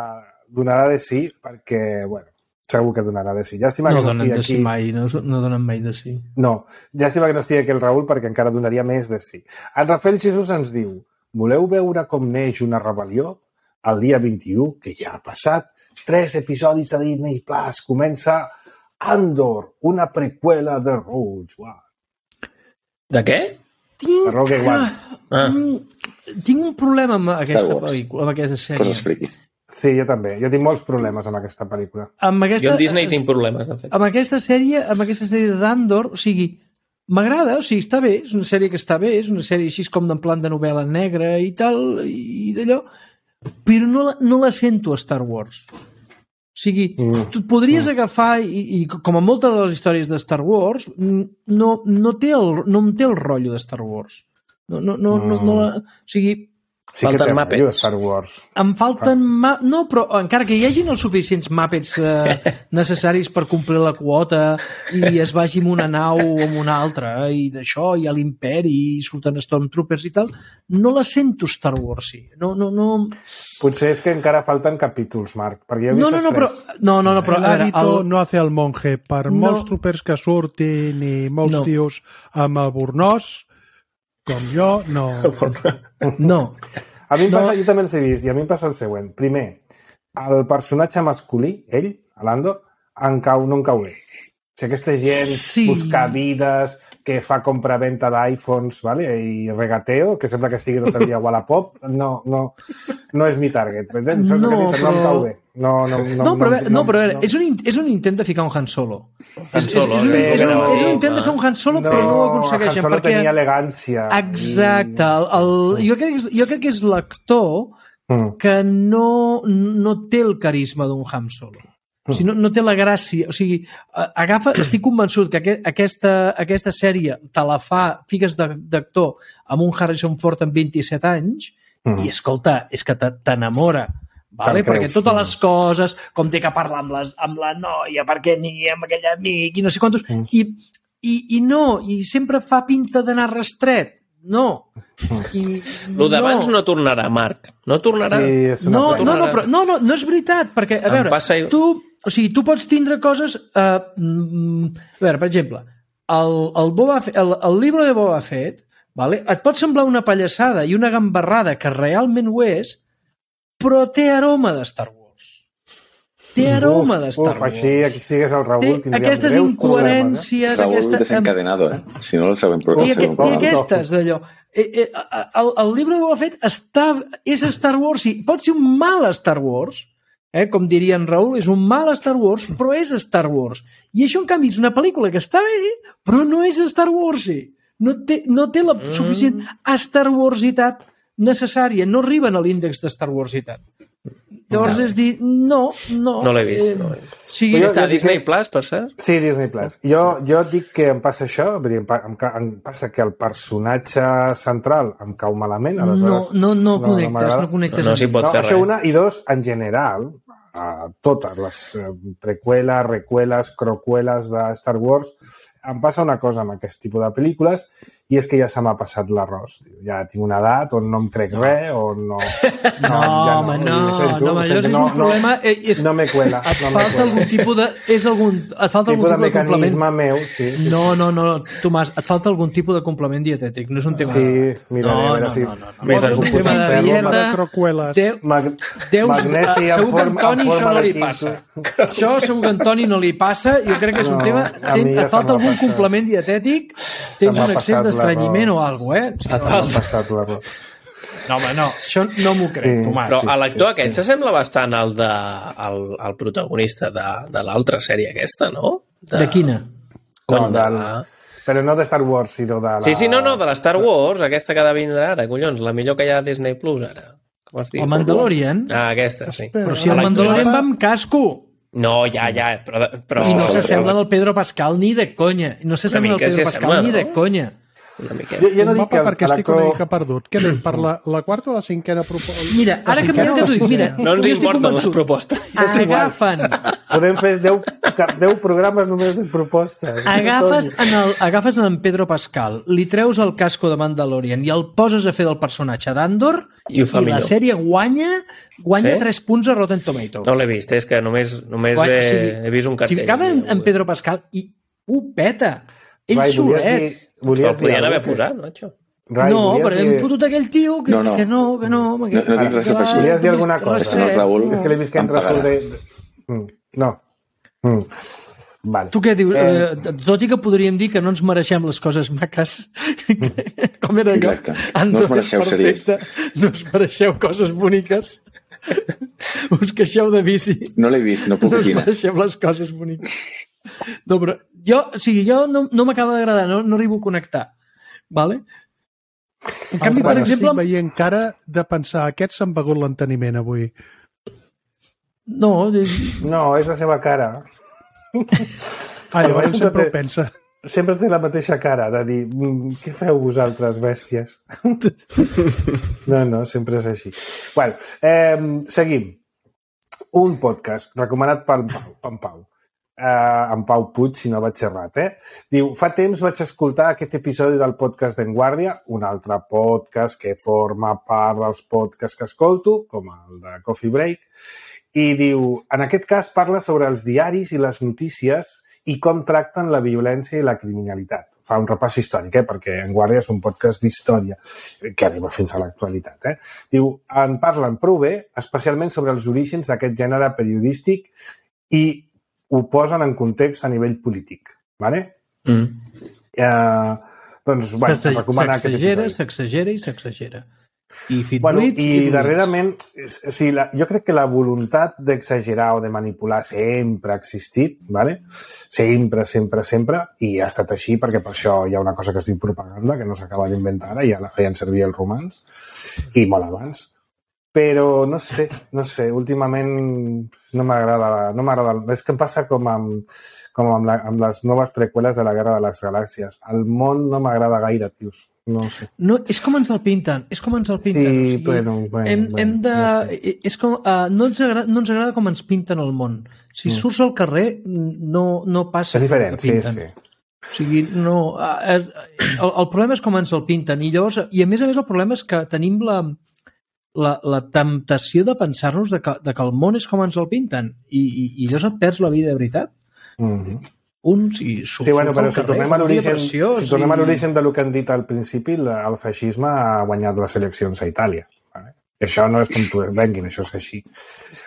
donarà de sí, perquè, bueno, segur que donarà de sí. Llàstima No que no donen estigui de aquí. sí mai, no, no donen mai de sí. No, llàstima que no estigui aquí el Raül perquè encara donaria més de sí. En Rafael Jesús ens diu, voleu veure com neix una rebel·lió? El dia vint-i-u, que ja ha passat, tres episodis de Disney Plus, comença Andor, una preqüela de Rogue One. De què? De Rogue One. Ah. Mm, tinc un problema amb aquesta Wars. pel·lícula, amb aquesta sèrie. Coses friquis. Sí, jo també. Jo tinc molts problemes amb aquesta pel·lícula. Amb aquesta, Jo amb Disney tinc problemes, de fet. amb aquesta sèrie, amb aquesta sèrie d'Andor, o sigui, m'agrada, o sigui, està bé, és una sèrie que està bé, és una sèrie així com en plan de novel·la negra i tal, i d'allò, però no la, no la sento a Star Wars. O sigui, Mm. tu et podries agafar, i, i com a moltes de les històries de Star Wars, no, no, té el, no em té el rotllo de Star Wars. No, no, no, no, no la, o sigui, Sí que Falten té Muppets. rotllo de Star Wars. em falten... Ma... No, però encara que hi hagin els suficients Muppets eh, necessaris per complir la quota i es vagi amb una nau o amb una altra eh, i d'això, i a l'imperi i surten Stormtroopers i tal, no la sento Star Wars, sí. No, no, no... Potser és que encara falten capítols, Marc, perquè jo he vist No, no, no, els però... tres. No, no, no, però... El A veure, hábito el... no hace el monje. Per No. molts troopers que surtin i molts No. tios amb el burnós, com jo, no... No. A mi em No. passa, jo també els he vist, i a mi em passa el següent. Primer, el personatge masculí, ell, Lando, em cau, no em cau bé. O sigui, aquesta gent Sí. buscar vides, que fa compra-venta d'iPhones, vale? I regateo, que sembla que estigui tot el dia a Wallapop, no, no, no és mi target. Entens? No, No, no, però- no em cau bé. No, no, no, No, però, a veure, no, però a veure, no. és, un, in- és un intent de ficar un Han Solo. Han És, és, Solo, és, un, és, un, però- és un intent de fer un Han Solo, però no ho aconsegueixen. Han Solo perquè... tenia elegància. Exacte. El, el, jo, crec que és, jo crec que és l'actor Mm. que no, no té el carisma d'un Han Solo. O sigui, no, no té la gràcia. O sigui, a- agafa, estic convençut que aqu aquesta, aquesta sèrie te la fa, fiques de- d'actor amb un Harrison Ford amb vint-i-set anys Mm. i, escolta, és que te- t'enamora. Vale? Te'n Perquè creus, totes mm. les coses, com té que parlar amb, les, amb la noia, perquè ni amb aquell amic, i no sé quantos... Mm. I, i, I no, i sempre fa pinta d'anar rastret. No. I, Lo d'abans no. no tornarà, Marc. No tornarà. Sí, és una no, pena. no, no, però, no, no, no és veritat, perquè, a Em veure, passa- tu, o sigui, tu pots tindre coses... Uh, mm, a veure, per exemple, el, el, Boba Fett, el, el llibre de Boba Fett, vale? Et pot semblar una pallassada i una gambarrada que realment ho és, però té aroma de Star Wars. Té aroma de Star uf, Wars. així, aquí sigues el Raül, Té tindríem aquestes greus problemes, incoherències... Raúl aquesta, desencadenado, eh? Si no, el següent I, programa. aqu i aquestes, d'allò. Eh, eh, el, el llibre de Boba Fett està, és Star Wars, i pot ser un mal Star Wars, eh, com diria en Raül, és un mal Star Wars, però és Star Wars. I això, en canvi, és una pel·lícula que està bé, però no és Star Wars. No té, no té la suficient Star Warsitat necessària. No arriben a l'índex de Star Warsitat. Llavors és dir, no, no. No l'he vist, Eh, no l'he vist. o sigui, Jo- Està a dic Disney que- Plus, per cert? Sí, Disney Plus. Jo, jo dic que em passa això, vull dir, em, pa- em, ca- em passa que el personatge central em cau malament, no, aleshores... no, no connectes, m'agrada. no connectes. No, no amb s'hi ell. pot No, fer això res. una, i dos, en general, a totes les eh, preqüeles, recueles, crocueles de Star Wars, em passa una cosa amb aquest tipus de pel·lícules, i és que ja se m'ha passat l'arròs. tio. Ja tinc una edat on no em crec res, on no... No, ja home, no, ho sento, no, ho això sento, és no, un problema... No, eh, és, no me cuela. et no me falta cuela. algun tipus de... És algun, et falta algun tipus de tipus de complement. mecanisme meu, sí. sí, No, no, no, Tomàs, et falta algun tipus de complement dietètic, no és un tema... Sí, miraré, no, a veure no, si... no, no, no. Més És un en tema de ferro, dieta... de crocueles. Deu, Mag... Deus, Magnesi en segur que a forma- Antoni en això forma no de li quinto. passa. Això segur que a Antoni no li passa. Jo crec que és un No, tema... a mi ja Et falta se m'ha algun passat. complement dietètic, Se tens m'ha un excés passat d'estranyiment o l'arròs. alguna cosa, eh? Sí, M'ha passat l'arròs. no, home, no, això no m'ho crec, Sí, Tomàs. Però sí, a l'actor sí, aquest sí. s'assembla bastant al, de, al, al protagonista de, de l'altra sèrie aquesta, no? De quina? Cony, No, de del- la... Però no de Star Wars, sinó de la... Sí, sí, no, no, de la Star Wars, aquesta que ha de vindre ara, collons, la millor que hi ha a Disney Plus ara. Com es diu? El Mandalorian? Ah, aquesta, sí. Espera. Però si el L'actor Mandalorian és- va amb casco No, ja, ja, però... però i no sí, s'assembla al Pedro Pascal ni de conya. No s'assembla al mica Pedro s'hi Pascal assembla, ni de no? conya. Una miqueta. Jo, jo no Un dic mapa que perquè estic l'actor- una mica perdut. Què anem, per la, la quarta o la cinquena proposta? Mira, ara que, cinquena que o t'ho dic, mira, No ens jo estic importen les convençut. propostes. És igual. Agafen, Podem fer deu, deu programes només de propostes. agafes en, el, agafes en Pedro Pascal, li treus el casco de Mandalorian i el poses a fer del personatge d'Andor I ho fa i la millor. sèrie guanya guanya Sí? tres punts a Rotten Tomatoes. No l'he vist, és que només, només Guanya- he, o sigui, he vist un cartell. Si acaba en, en Pedro Pascal i ho peta. Ell Rai, volies solet. dir, Però volies el podien dir haver alguna cosa? posat, macho. Rai, No, volies però hem dir- fotut aquell tio que No, no, no. que no, que no, que No- no tinc res a afegir. Volies dir alguna Res, cosa? Senyor Raül. És que l'he vist que Em entra pagarà. sobre... Mm, no. Mm. Vale. Tu què dius? Eh, Eh, tot i que podríem dir que no ens mereixem les coses maques, com era allò? Exacte. No Andor us mereixeu és perfecte, no us mereixeu coses boniques, us queixeu de bici, No l'he vist, no puc no us opinar. mereixeu les coses boniques. No, però jo, o sigui, jo no, no m'acaba d'agradar, no, no arribo a connectar. Vale? En canvi, per Ara exemple, estic veient cara de pensar, aquests s'han begut l'enteniment avui. no, No, és la seva cara. Ah, llavors Sempre sempre té- ho pensa. Sempre té la mateixa cara, de dir, "Mm, què feu vosaltres, bèsties? No, no, sempre és així. Bueno, eh, seguim. Un podcast recomanat pel Pau, pel Pau. Uh, en Pau Puig, si no vaig errat, eh? Diu, fa temps vaig escoltar aquest episodi del podcast d'En Guàrdia, un altre podcast que forma part dels podcasts que escolto, com el de Coffee Break, i diu, en aquest cas parla sobre els diaris i les notícies i com tracten la violència i la criminalitat. Fa un repàs històric, eh? Perquè En Guàrdia és un podcast d'història que arriba fins a l'actualitat. Eh? Diu, en parlen prou bé, especialment sobre els orígens d'aquest gènere periodístic i ho posen en context a nivell polític. Vale? Mm. Eh, doncs, bueno, s'ex- recomana aquest s'exagera, episodi. s'exagera i s'exagera. I fit Bueno, buits, i fit buits. darrerament, sí, la, jo crec que la voluntat d'exagerar o de manipular sempre ha existit, ¿vale? Sempre, sempre, sempre, i ha estat així perquè per això hi ha una cosa que es diu propaganda, que no s'acaba d'inventar ara, ja la feien servir els romans, i molt abans. Però no sé, no sé, últimament no m'agrada, no m'agrada. És que em passa com amb, com amb, la, amb les noves preqüeles de la Guerra de les Galàxies. El món no m'agrada gaire, tios. No ho sé. No, és com ens el pinten, és com ens el pinten. Sí, o sigui, bueno, bueno, hem, bueno, hem de... no sé. És com, uh, no, ens agrada, no ens agrada com ens pinten el món. Si Mm. surts al carrer, no, no passa És el que diferent, sí, pinten. sí. O sigui, no... Uh, el, el problema és com ens el pinten. I llavors, i a més a més el problema és que tenim la, la, la temptació de pensar-nos de, que, de que el món és com ens el pinten. I, i, i llavors et perds la vida de veritat. Mm-hmm. Uns i Sí, bueno, però si tornem a l'origen si tornem a i... l'origen del que han dit al principi, la- el feixisme ha guanyat les eleccions a Itàlia. Vale? Això no és com tu venguin, això és així.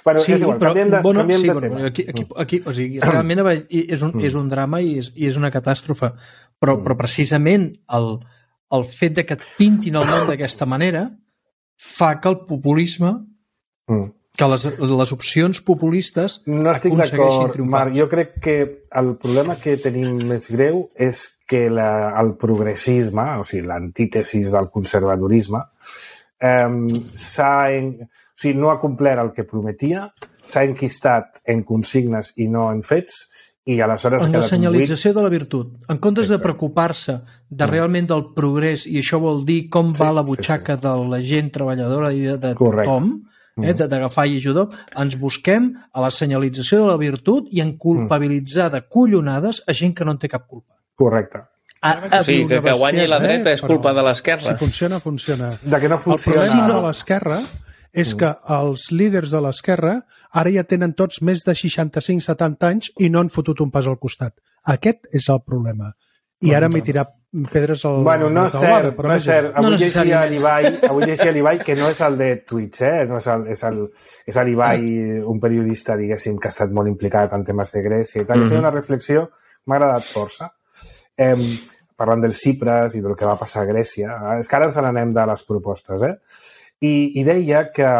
Bueno, Sí, és igual, però, canviem de, bueno, canviem sí, de bueno, tema. aquí, aquí, aquí, o sigui, realment és un, és un drama i és, i és una catàstrofe, però, però precisament el, el fet de que et pintin el món d'aquesta manera fa que el populisme, Mm. que les, les opcions populistes No estic aconsegueixin d'acord, triomfar. Marc. Jo crec que el problema que tenim més greu és que la, el progressisme, o sigui, l'antítesis del conservadorisme, eh, s'ha... En... O O sigui, no ha complert el que prometia, s'ha enquistat en consignes i no en fets, i aleshores... En la senyalització conduït... de la virtut. En comptes de preocupar-se de realment del progrés, i això vol dir com sí, va la butxaca sí, sí. de la gent treballadora i de, de tothom, eh, d'agafar i ajudar, ens busquem a la senyalització de la virtut i en culpabilitzar de collonades a gent que no en té cap culpa. Correcte. A, a, o sigui, que, que guanyi la dreta eh? és culpa de l'esquerra. Si funciona, funciona. De que no funciona... El problema de l'esquerra és que els líders de l'esquerra ara ja tenen tots més de seixanta-cinc setanta anys i no han fotut un pas al costat. Aquest és el problema. I ara m'hi tirar pedres al... Bueno, no és cert, però no és cert. Avui no llegia l'Ibai, avui llegia l'Ibai, que no és el de Twitch, eh? No és el, és el, és l'Ibai, un periodista, diguéssim, que ha estat molt implicat en temes de Grècia i tal. Mm-hmm. I feia una reflexió, m'ha agradat força, eh, parlant del Cipres i del que va passar a Grècia. És que ara ens n'anem de les propostes, eh? I, i deia que,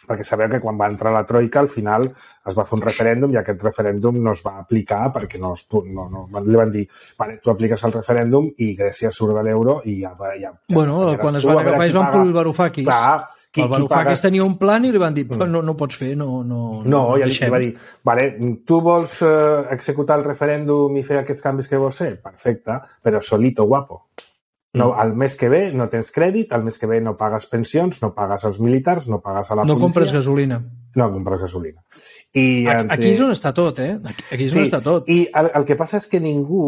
perquè sabeu que quan va entrar la Troika al final es va fer un referèndum i aquest referèndum no es va aplicar perquè no, es, no, no li van dir, vale, tu apliques el referèndum i Grècia surt de l'euro i ja... ja, ja bueno, ja quan es van agafar es van pel Varoufakis. Clar, qui, el Varoufakis paga... tenia un plan i li van dir, mm. no, no pots fer, no... No, no i li va dir, vale, tu vols uh, executar el referèndum i fer aquests canvis que vols fer? Perfecte, però solito, guapo. No, el mes que ve no tens crèdit, el mes que ve no pagues pensions, no pagues als militars, no pagues a la no policia. No compres gasolina. No compres gasolina. I aquí, aquí és on està tot, eh? Aquí, aquí és on sí, està tot. I el, el que passa és que ningú,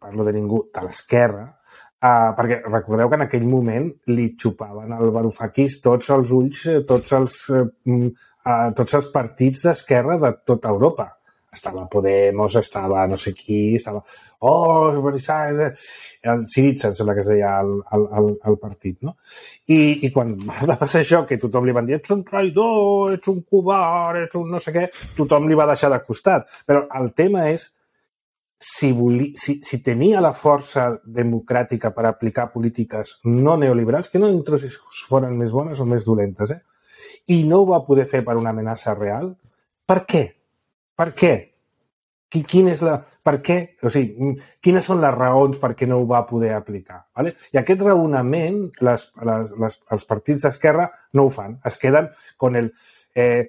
parlo de ningú, de l'esquerra, uh, perquè recordeu que en aquell moment li xupaven al Varoufakis tots els ulls, tots els, uh, uh, tots els partits d'esquerra de tota Europa. Estava Podemos, estava no sé qui, estava... Oh, el Syriza, em sembla que es deia el, el, el partit, no? I, I quan va passar això, que tothom li van dir ets un traïdor, ets un covard, ets un no sé què, tothom li va deixar de costat. Però el tema és si, voli, si, si tenia la força democràtica per aplicar polítiques no neoliberals, que no entro si foren més bones o més dolentes, eh? I no ho va poder fer per una amenaça real, per què? Per què? Quin és la... Per què? O sigui, quines són les raons per què no ho va poder aplicar? Vale? I aquest raonament, les, les, les, els partits d'esquerra no ho fan. Es queden con el eh,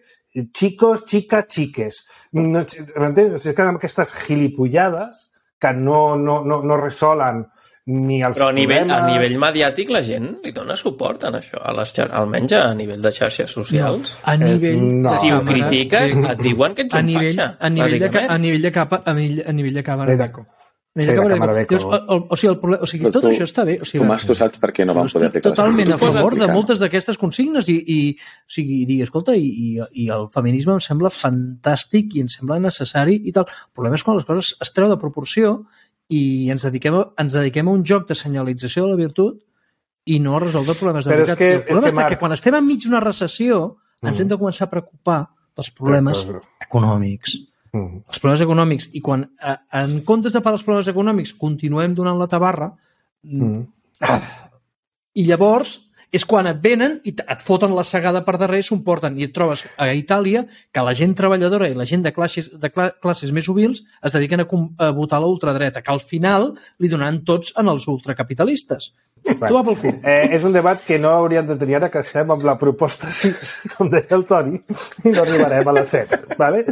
chicos, chicas, chiques. No, m'entens? Es queden amb aquestes gilipollades que no, no, no, no resolen ni els Però a nivell, problemes... a nivell mediàtic la gent li dona suport en això, a les xar... almenys a nivell de xarxes socials. No, a nivell... No. Si ho critiques, et diuen que ets un nivell, fatxa, a nivell de, a nivell de capa, a nivell, a nivell de càmera d'eco. Sí, de càmera d'eco. O sigui, el problema, o sigui tot tu, això està bé. O sigui, Tomàs, tu saps per què no vam poder aplicar les totalment a favor aplicar. de moltes d'aquestes consignes i, i, o sigui, i dir, escolta, i, i, i el feminisme em sembla fantàstic i em sembla necessari i tal. El problema és quan les coses es treu de proporció i ens dediquem, a, ens dediquem a un joc de senyalització de la virtut i no a resoldre problemes de Però veritat. És que, el problema és que, Marc... que quan estem enmig d'una recessió mm. ens hem de començar a preocupar dels problemes però, però... econòmics. Mm. Els problemes econòmics. I quan, en comptes de parlar dels problemes econòmics, continuem donant la tabarra, mm. ah, i llavors és quan et venen i et foten la segada per darrere i s'ho porten. I et trobes a Itàlia que la gent treballadora i la gent de classes, de classes més humils es dediquen a, a votar a la ultradreta, que al final li donaran tots en els ultracapitalistes. Bueno, tu va pel cul. Eh, és un debat que no hauríem de tenir ara que estem amb la proposta sis, com deia el Toni, i no arribarem a les set. Vale?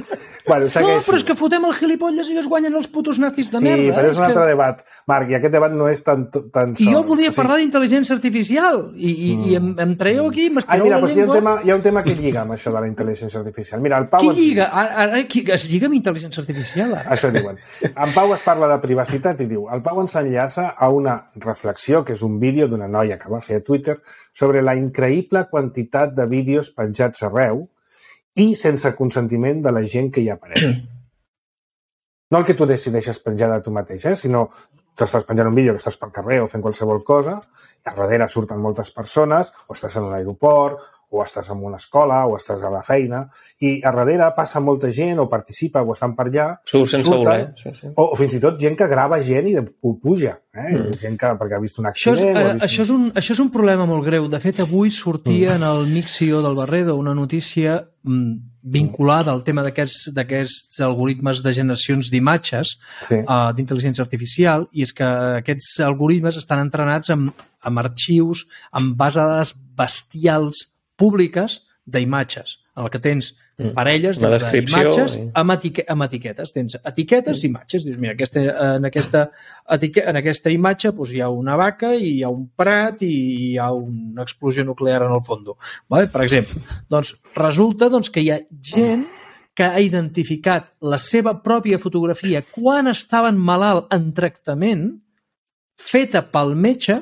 Bueno, no, però és que fotem el gilipolles i es guanyen els putos nazis de sí, merda. Sí, però és un altre que... debat, Marc, i aquest debat no és tan, tan I sol. jo volia o sigui... parlar d'intel·ligència artificial i, i, mm. i em, em traieu aquí, m'estireu Ai, mira, la doncs hi ha, un llengua. tema, hi ha un tema que lliga amb això de la intel·ligència artificial. Mira, el Pau... Qui ens... lliga? Ara, ara qui es lliga amb intel·ligència artificial? Ara? Això diuen. En Pau es parla de privacitat i diu, el Pau ens enllaça a una reflexió, que és un vídeo d'una noia que va fer a Twitter, sobre la increïble quantitat de vídeos penjats arreu i sense consentiment de la gent que hi apareix. No el que tu decideixes penjar de tu mateix, eh? Sinó que estàs penjant un vídeo, que estás pel carrer o fent qualsevol cosa, i a darrere surten moltes persones, o estàs en un aeroport, o estàs en una escola, o estàs a la feina, i a darrere passa molta gent, o participa, o estan per allà. Surt sense surten, voler. Sí, sí. O, o fins i tot gent que grava gent i ho puja. Eh? Mm. Gent que, perquè ha vist un accident... Això és, eh, vist... això, és un, això és un problema molt greu. De fet, avui sortia mm. en el Mixio del Barredo una notícia mm, vinculada al tema d'aquests algoritmes de generacions d'imatges sí. uh, d'intel·ligència artificial, i és que aquests algoritmes estan entrenats amb, amb arxius, amb bases de dades bestials públiques d'imatges, en el que tens parelles doncs, d'imatges i... amb, etique amb etiquetes. Tens etiquetes i imatges. Dius, mira, aquesta, en, aquesta etique en aquesta imatge doncs, hi ha una vaca i hi ha un prat i hi ha una explosió nuclear en el fons. Vale? Per exemple, doncs, resulta doncs, que hi ha gent que ha identificat la seva pròpia fotografia quan estaven malalt en tractament feta pel metge,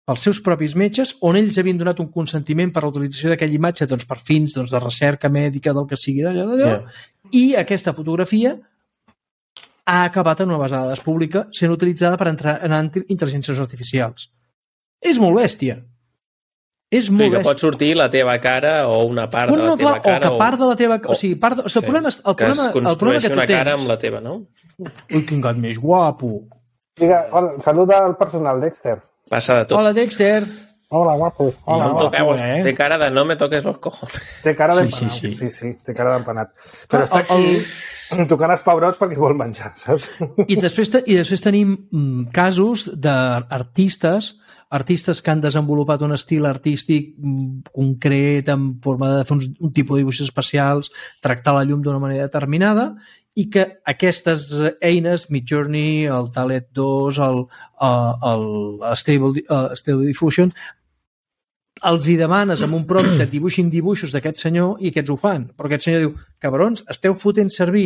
pels seus propis metges, on ells havien donat un consentiment per a la utilització d'aquella imatge doncs, per fins doncs, de recerca mèdica, del que sigui d'allò, d'allò, yeah. I aquesta fotografia ha acabat en una base de dades pública sent utilitzada per entrar en intel·ligències artificials. És molt bèstia. És molt sí, que pot sortir la teva cara o una part bueno, no, de la teva clar, cara. O que part de la teva... O, o sigui, part de... o sigui, el problema, el que problema, es el problema que tu una tens... cara amb la teva, no? Ui, quin gat més guapo. Diga, hola, saluda al personal, Dexter. Passa de tot. Hola, Dexter. Hola, guapo. Hola, no guapo, toqueu, eh? Té cara de no me toques los cojones. Té cara d'empanat, sí, sí, sí. sí, sí, té cara d'empanat. Però ah, està aquí el... tocant els pebrots perquè vol menjar, saps? I després, i després tenim mm, casos d'artistes artistes que han desenvolupat un estil artístic concret en forma de fer un, un tipus de dibuixos especials, tractar la llum d'una manera determinada i que aquestes eines, Midjourney, el Dalet dos, el, el, el Stable, el Stable Diffusion, els hi demanes amb un prompt que dibuixin dibuixos d'aquest senyor i aquests ho fan. Però aquest senyor diu, cabrons, esteu fotent servir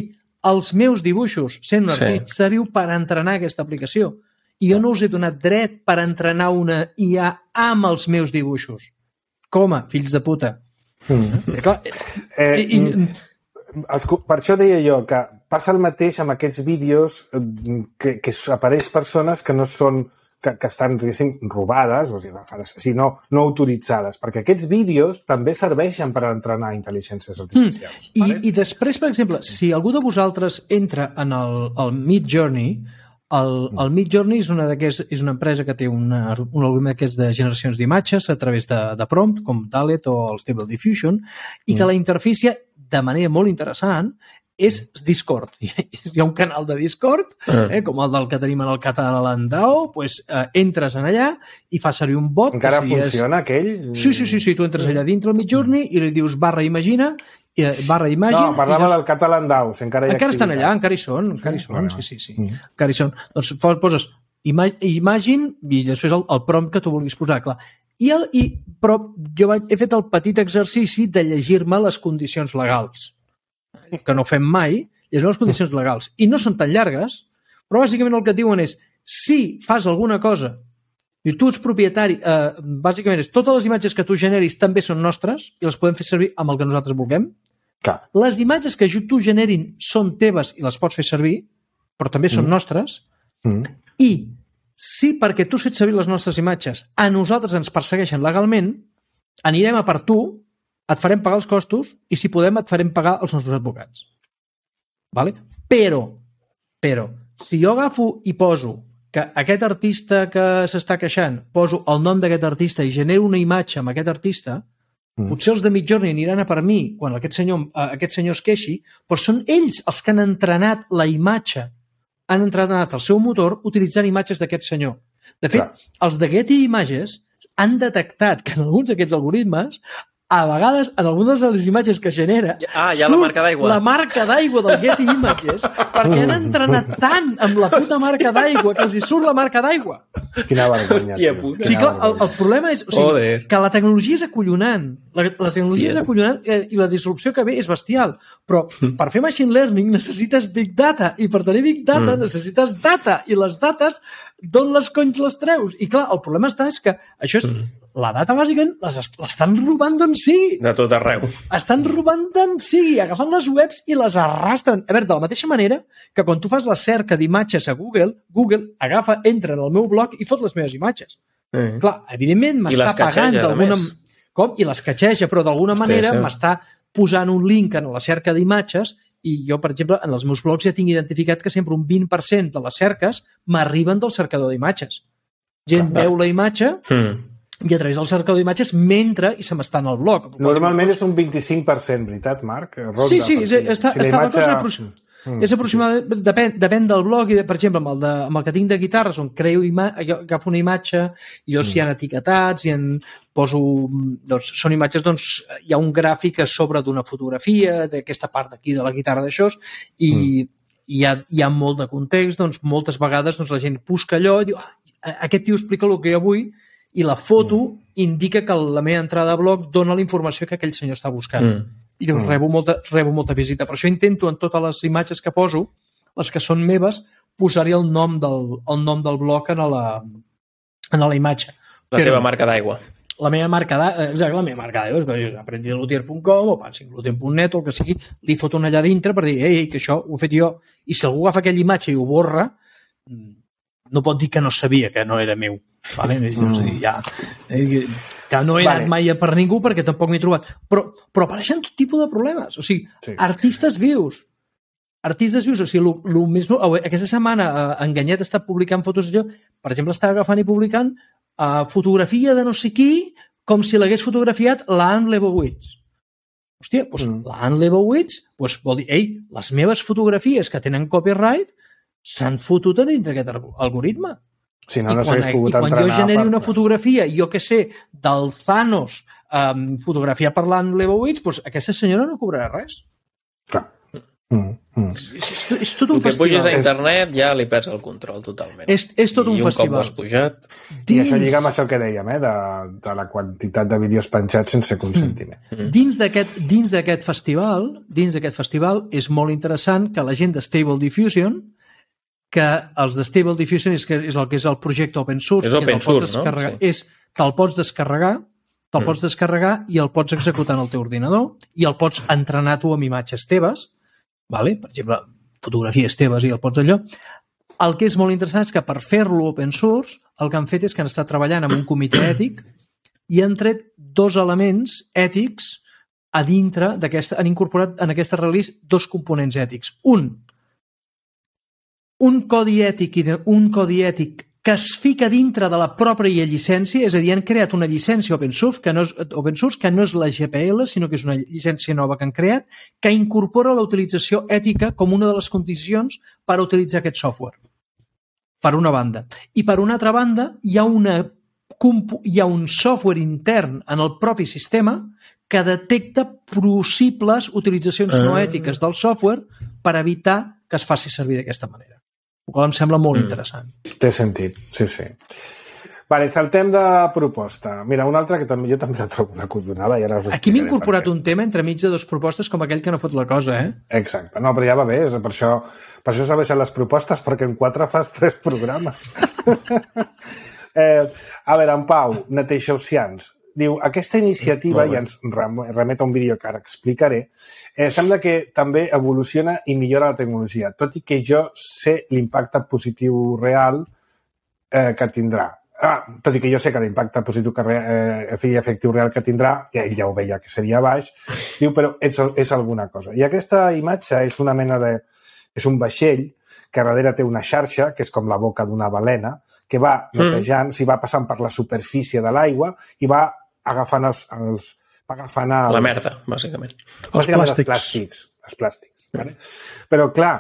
els meus dibuixos sent un artista sí. viu per entrenar aquesta aplicació. I jo no us he donat dret per entrenar una I A amb els meus dibuixos. Com a fills de puta. Mm. Eh, clar, eh, i, i... Per això deia jo que passa el mateix amb aquests vídeos que, que apareix persones que no són que, que estan, diguéssim, robades, o sigui, sinó no autoritzades, perquè aquests vídeos també serveixen per entrenar intel·ligències artificials. Mm. I, I després, per exemple, si algú de vosaltres entra en el, el Midjourney, El, el Midjourney és una, és una empresa que té una, un algoritme que és de generacions d'imatges a través de, de prompt, com Dalet o el Stable Diffusion, i que la interfície, de manera molt interessant, és Discord. Hi ha un canal de Discord, eh, com el del que tenim en el Catalandao, pues, eh, entres en allà i fa servir un bot. Encara si funciona és... aquell? Sí, sí, sí, sí, tu entres allà dintre el Midjourney i li dius barra imagina, barra imagine... No, parlava dos... del Catalandao. Si encara hi ha encara estan allà, encara hi són, encara hi són, sí, sí, sí. Mm. Encara hi són. Doncs poses imagine i després el, el prompt que tu vulguis posar, clar. I el, i, però jo vaig, he fet el petit exercici de llegir-me les condicions legals, que no fem mai, llegir les condicions legals. I no són tan llargues, però bàsicament el que et diuen és si fas alguna cosa i tu ets propietari, eh, bàsicament és totes les imatges que tu generis també són nostres i les podem fer servir amb el que nosaltres vulguem. Clar. Les imatges que tu generin són teves i les pots fer servir, però també són mm. nostres. Mm. I si perquè tu has fet servir les nostres imatges a nosaltres ens persegueixen legalment, anirem a per tu, et farem pagar els costos i si podem et farem pagar els nostres advocats. Vale? Però, però, si jo agafo i poso que aquest artista que s'està queixant, poso el nom d'aquest artista i genero una imatge amb aquest artista, mm. potser els de Midjourney aniran a per mi quan aquest senyor, aquest senyor es queixi, però són ells els que han entrenat la imatge, han entrenat el seu motor utilitzant imatges d'aquest senyor. De fet, Clar. els de Getty Images han detectat que en alguns d'aquests algoritmes a vegades, en algunes de les imatges que genera, ah, hi ha la marca d'aigua. La marca d'aigua del Getty Images, perquè han entrenat tant amb la puta marca d'aigua que els hi surt la marca d'aigua. Quina vergonya. Hòstia puta. Sí, clar, el, el problema és o sigui, que la tecnologia és acollonant. La, la tecnologia Hòstia. és acollonant eh, i la disrupció que ve és bestial. Però per fer machine learning necessites big data i per tenir big data mm. necessites data i les dates d'on les conys les treus? I clar, el problema està és que això és... Mm. La data, bàsicament, l'estan robant d'on sigui. De tot arreu. Estan robant d'on sigui, agafant les webs i les arrastren. A veure, de la mateixa manera que quan tu fas la cerca d'imatges a Google, Google agafa, entra en el meu blog i fot les meves imatges. Mm. Clar, evidentment m'està pagant d'alguna... Com? I les catxeja, però d'alguna manera sí. m'està posant un link en la cerca d'imatges i jo, per exemple, en els meus blogs ja tinc identificat que sempre un vint per cent de les cerques m'arriben del cercador d'imatges. Gent Clar. veu la imatge... Mm. i a través del cercador d'imatges mentre i se m'està en el blog. Normalment és un vint-i-cinc per cent, veritat, Marc? Ronda, sí, sí, està, si està, imatge... la cosa Mm, és aproximadament, sí. depèn, depèn del blog, i de, per exemple, amb el, de, amb el que tinc de guitarres, on creo ima agafo una imatge, i jo mm. si hi ha etiquetats, i en poso, doncs, són imatges, doncs, hi ha un gràfic a sobre d'una fotografia, d'aquesta part d'aquí de la guitarra d'això, i, mm. hi, ha, hi ha molt de context, doncs, moltes vegades doncs, la gent busca allò i diu, ah, aquest tio explica el que jo vull, i la foto mm. indica que la meva entrada a blog dona la informació que aquell senyor està buscant. Mm. I llavors mm. rebo, molta, rebo molta visita. Per això intento en totes les imatges que poso, les que són meves, posar-hi el, nom del, el nom del blog en la, en la imatge. La Però, teva marca d'aigua. La meva marca d'aigua, exacte, la meva marca d'aigua, és aprendidlutier punt com o pansingluten punt net o el que sigui, li foto allà dintre per dir, ei, que això ho he fet jo. I si algú agafa aquella imatge i ho borra, no pot dir que no sabia que no era meu. Vale? Mm. Ja, que no he anat vale. mai per ningú perquè tampoc m'he trobat. Però, però apareixen tot tipus de problemes. O sigui, sí. artistes vius. Artistes vius. O sigui, lo, lo més, aquesta setmana Enganyet està publicant fotos d'allò. Per exemple, està agafant i publicant uh, fotografia de no sé qui com si l'hagués fotografiat la Anne Leibovitz. Hòstia, doncs mm. la Anne Leibovitz doncs vol dir, ei, les meves fotografies que tenen copyright s'han fotut a dintre d'aquest algoritme. Si no, no quan, pogut I quan jo generi per... una fotografia, jo que sé, del Thanos, um, fotografia per l'Anne Leibovitz, doncs aquesta senyora no cobrarà res. Clar. Mm, mm. És, és, és tot un el que festival. puges a internet ja li perds el control totalment. És, és tot un I un festival. cop ho has pujat... Dins... I això lliga amb això que dèiem, eh? de, de la quantitat de vídeos penjats sense consentiment. Mm. Dins d'aquest dins d'aquest festival, dins d'aquest festival és molt interessant que la gent de Stable Diffusion, que els de Stable Diffusion és, que és el que és el projecte open source, és open source, no? Sí. És que el pots descarregar, te'l mm. pots descarregar i el pots executar en el teu ordinador i el pots entrenar tu amb imatges teves, vale? Per exemple, fotografies teves i el pots allò. El que és molt interessant és que per fer-lo open source, el que han fet és que han estat treballant amb un comitè ètic i han tret dos elements ètics a dintre d'aquesta, han incorporat en aquesta release dos components ètics. Un, un codi ètic i de, un codi ètic que es fica dintre de la pròpia llicència, és a dir, han creat una llicència open source que no és, open source, que no és la G P L, sinó que és una llicència nova que han creat, que incorpora la utilització ètica com una de les condicions per utilitzar aquest software. Per una banda. I per una altra banda, hi ha, una, hi ha un software intern en el propi sistema que detecta possibles utilitzacions no ètiques del software per evitar que es faci servir d'aquesta manera. El qual em sembla molt mm. interessant. Té sentit, sí, sí. Vale, saltem de proposta. Mira, una altra que també jo també la trobo una collonada. I ara us Aquí m'he incorporat un tema entre mig de dues propostes com aquell que no fot la cosa, eh? Exacte. No, però ja va bé. Per això, per això serveixen les propostes, perquè en quatre fas tres programes. eh, a veure, en Pau, Neteixaucians, diu, aquesta iniciativa, i ens remet a un vídeo que ara explicaré, eh, sembla que també evoluciona i millora la tecnologia, tot i que jo sé l'impacte positiu real eh, que tindrà. Ah, tot i que jo sé que l'impacte positiu que eh, i efectiu real que tindrà, i ell ja ho veia que seria baix, diu, però és, és alguna cosa. I aquesta imatge és una mena de... és un vaixell que darrere té una xarxa, que és com la boca d'una balena, que va netejant, mm. si va passant per la superfície de l'aigua i va agafant els... els va agafant els... La merda, bàsicament. Els plàstics. Els plàstics. Els plàstics, vale? Però, clar,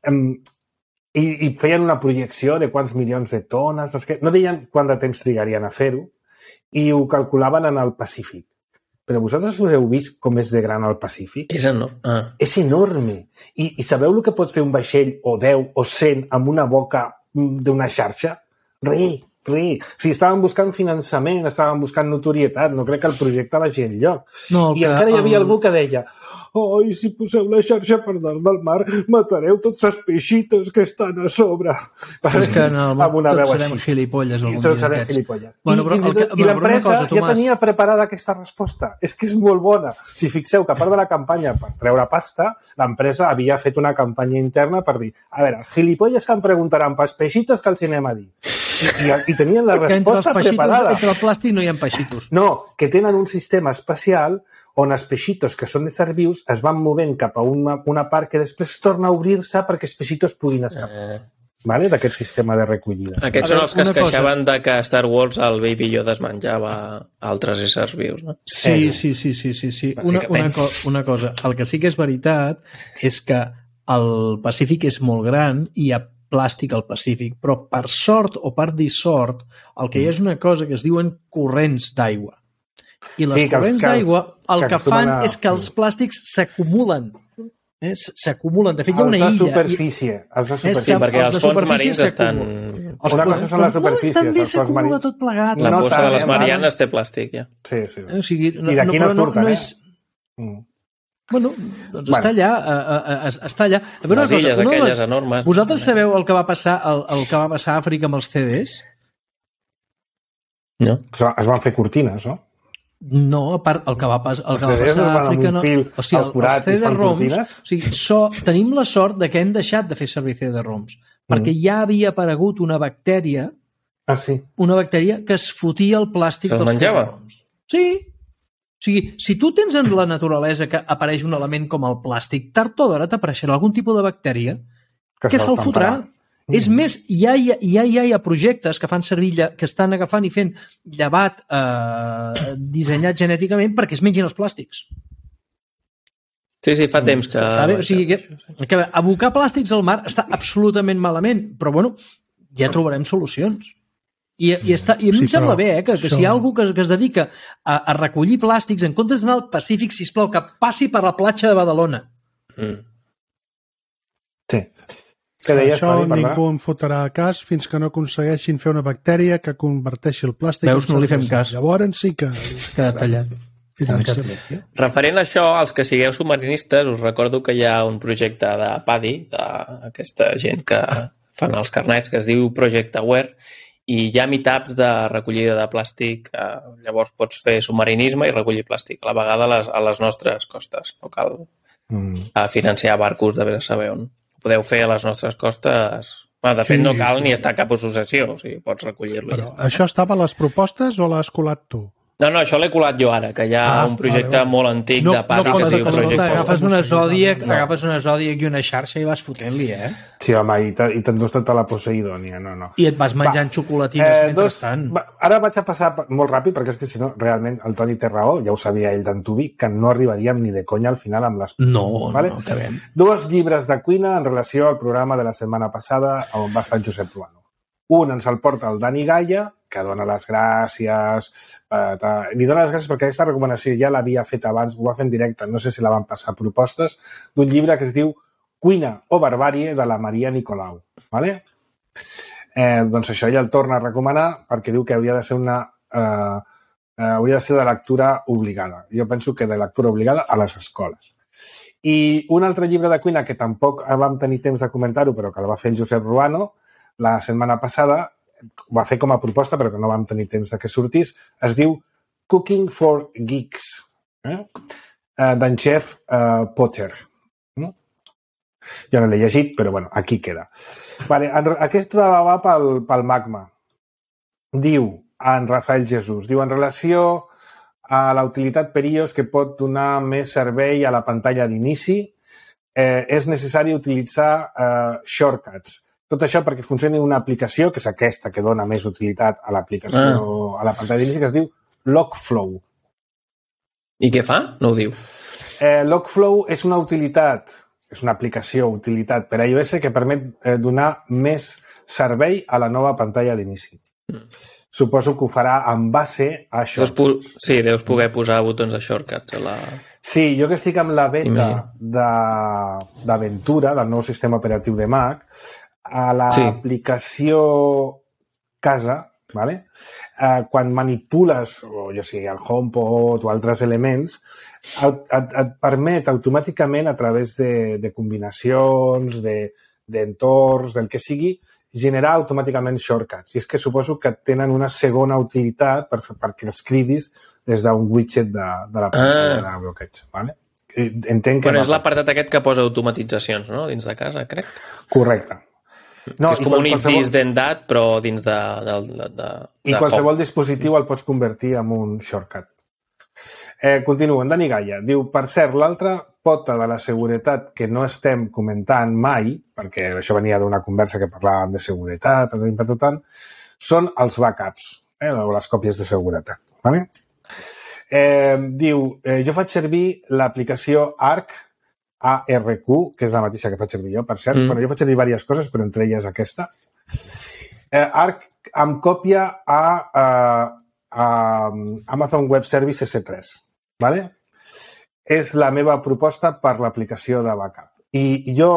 em, i, i feien una projecció de quants milions de tones, no, no deien quant de temps trigarien a fer-ho, i ho calculaven en el Pacífic. Però vosaltres us heu vist com és de gran el Pacífic? És enorme. Ah. És enorme. I, I sabeu el que pot fer un vaixell o deu o cent amb una boca d'una xarxa? Res. Res. O sigui, estaven buscant finançament, estaven buscant notorietat, no crec que el projecte vagi enlloc. No, I encara hi havia el... algú que deia oi, si poseu la xarxa per dalt del mar, matareu tots els peixitos que estan a sobre. És que en el món tots serem gilipolles algun dia d'aquests. Gilipolles. Bueno, però, I, i, i l'empresa ja tenia preparada aquesta resposta. És que és molt bona. Si fixeu que a part de la campanya per treure pasta, l'empresa havia fet una campanya interna per dir, a veure, gilipolles que em preguntaran pels peixitos que els anem a dir. I, i, i tenien la resposta entre preparada. Entre el plàstic no hi ha peixitos. No, que tenen un sistema especial on els peixitos que són de ser vius es van movent cap a una, una part que després torna a obrir-se perquè els peixitos puguin escapar. Eh. Vale? D'aquest sistema de recollida. Aquests són els que es queixaven de que a Star Wars el Baby Yoda es menjava altres éssers vius, no? Sí, sí, sí, sí, sí, sí. Una, una, co una cosa, el que sí que és veritat és que el Pacífic és molt gran i hi ha plàstic al Pacífic, però per sort o per dissort, el que hi ha és una cosa que es diuen corrents d'aigua. I les Sí, que els- corrents que els- d'aigua el que que fan acostumen a- és que els plàstics s'acumulen. Eh? S'acumulen. De fet, hi ha Els una de illa. superfície. Els de És superfície. Sí, perquè els de els fons superfície marins estan... s'acumulen. Una cosa són les superfícies, També els fons s'acumula marins. tot plegat. La No fossa està, de les eh, Marianes té plàstic, ja. Sí, sí. Eh? O sigui, no, I d'aquí no però surten, no eh? és... Mm. Bueno, doncs Bueno. està allà, eh, eh, està allà. A veure, Les una cosa, illes una de aquelles les- enormes. Vosaltres sabeu el que va passar el, el que va passar a Àfrica amb els C Ds? No? Es van fer cortines, no? No, a part, el que va, pas, el Els que va C Ds passar no a van amb Àfrica... un No, fil o sigui, al forat els i es fan C D-ROMs... cortines? O sigui, so, tenim la sort de que hem deixat de fer servir C D-ROMs, perquè Mm. ja havia aparegut una bactèria Ah, sí. una bactèria que es fotia el plàstic Se'ls dels menjava? C D-ROMs. Sí. O sigui, si tu tens en la naturalesa que apareix un element com el plàstic, tard o d'hora t'apareixerà algun tipus de bactèria que se'l se'l fan fotrà. parar. Mm. És més, ja hi ha, ja, hi ha, hi ha projectes que fan servir, lla- que estan agafant i fent llevat eh, dissenyat genèticament perquè es mengin els plàstics. Sí, sí, fa temps que... Està bé? O sigui, que, que abocar plàstics al mar està absolutament malament, però bueno, ja trobarem solucions. I, i, està, i a mi Sí, em sembla però bé, eh, que, que això- si hi ha algú que, que es dedica a, a recollir plàstics, en comptes d'anar al Pacífic, sisplau, que passi per la platja de Badalona. Mm. Sí. Què deies, Això Toni, perdona? ningú en fotrà cas fins que no aconsegueixin fer una bactèria que converteixi el plàstic Veus, en no li fem cervesa. cas. Llavors sí que Queda tallat. finança. Referent a això, als que sigueu submarinistes, us recordo que hi ha un projecte de P A D I, d'aquesta gent que fan els carnets, que es diu Project Aware, i hi ha meetups de recollida de plàstic. Eh, llavors pots fer submarinisme i recollir plàstic a la vegada a les, a les nostres costes. No cal Mm. eh, financiar barcos de bé saber on. Ho podeu fer a les nostres costes. Bueno, de fet, Sí, no sí, cal sí. ni estar a cap associació, o sigui, pots recollir-lo. i Però ja està. això estava a les propostes o l'has colat tu? No, no, això l'he colat jo ara, que hi ha Ah, un projecte vale, vale. molt antic No- de P A D I no que es compta diu com Project el- Post. Agafes una Zodiac, No. agafes una Zodiac i una xarxa i vas fotent-li, eh? Sí, home, i te- i t'endús tota la Poseidònia, no, no. I et vas menjant xocolatines Eh, mentrestant. va, ara vaig a passar per- molt ràpid, perquè és que si no, realment, el Toni té raó, ja ho sabia ell d'antubi, que no arribaríem ni de conya al final amb les... No, no, no, acabem. Dos llibres de cuina en relació al programa de la setmana passada on va estar en Josep Ruano. Un ens el porta el Dani Gaia, que dona les gràcies. Eh, ta- li dona les gràcies perquè aquesta recomanació ja l'havia fet abans, ho va fer en directe, no sé si la van passar propostes, d'un llibre que es diu Cuina o barbàrie, de la Maria Nicolau. Vale? Eh, doncs això ella el torna a recomanar perquè diu que hauria de ser una... Eh, eh, hauria de ser de lectura obligada. Jo penso que de lectura obligada a les escoles. I un altre llibre de cuina que tampoc vam tenir temps de comentar-ho, però que el va fer el Josep Ruano la setmana passada, ho va fer com a proposta, però que no vam tenir temps de que sortís, es diu Cooking for Geeks, eh? Eh, d'en Jeff eh, Potter. No? Jo no l'he llegit, però bueno, aquí queda. Vale, en, aquest va pel, pel magma. Diu, en Rafael Jesús, diu, en relació a la utilitat per i o essa que pot donar més servei a la pantalla d'inici, eh, és necessari utilitzar eh, shortcuts. Tot això perquè funcioni una aplicació, que és aquesta que dona més utilitat a l'aplicació, ah. a la pantalla d'inici, que es diu Logflow. I què fa? No ho diu. Eh, Logflow és una utilitat, és una aplicació, utilitat per a iOS que permet eh, donar més servei a la nova pantalla d'inici. Mm. Suposo que ho farà en base a això. Deus sí, deus poder posar botons de shortcuts a la... Sí, jo que estic amb la beta d'Aventura, del nou sistema operatiu de Mac, a l'aplicació sí. Casa, vale? eh, quan manipules, o jo sé, el HomePod o altres elements, et, et, et permet automàticament, a través de, de combinacions, d'entorns, de, del que sigui, generar automàticament shortcuts. I és que suposo que tenen una segona utilitat per, perquè els cridis des d'un widget de, de la pantalla ah. de bloqueig. Vale? Entenc que... Bueno, és l'apartat aquest que posa automatitzacions, no?, dins de casa, crec. Correcte. No, que és com un if this then that, però dins de... de, de, de I qualsevol home. dispositiu el pots convertir en un shortcut. Eh, continuo, en Dani Gaia. Diu, per cert, l'altra pota de la seguretat que no estem comentant mai, perquè això venia d'una conversa que parlàvem de seguretat, tant, són els backups, eh, o les còpies de seguretat. Vale? Eh, diu, eh, jo faig servir l'aplicació Arc A R Q, que és la mateixa que faig servir jo, per cert. Mm. Bueno, jo faig servir diverses coses, però entre elles aquesta. Eh, Arc em còpia a, a, a Amazon Web Service S tres. ¿Vale? És la meva proposta per l'aplicació de backup. I jo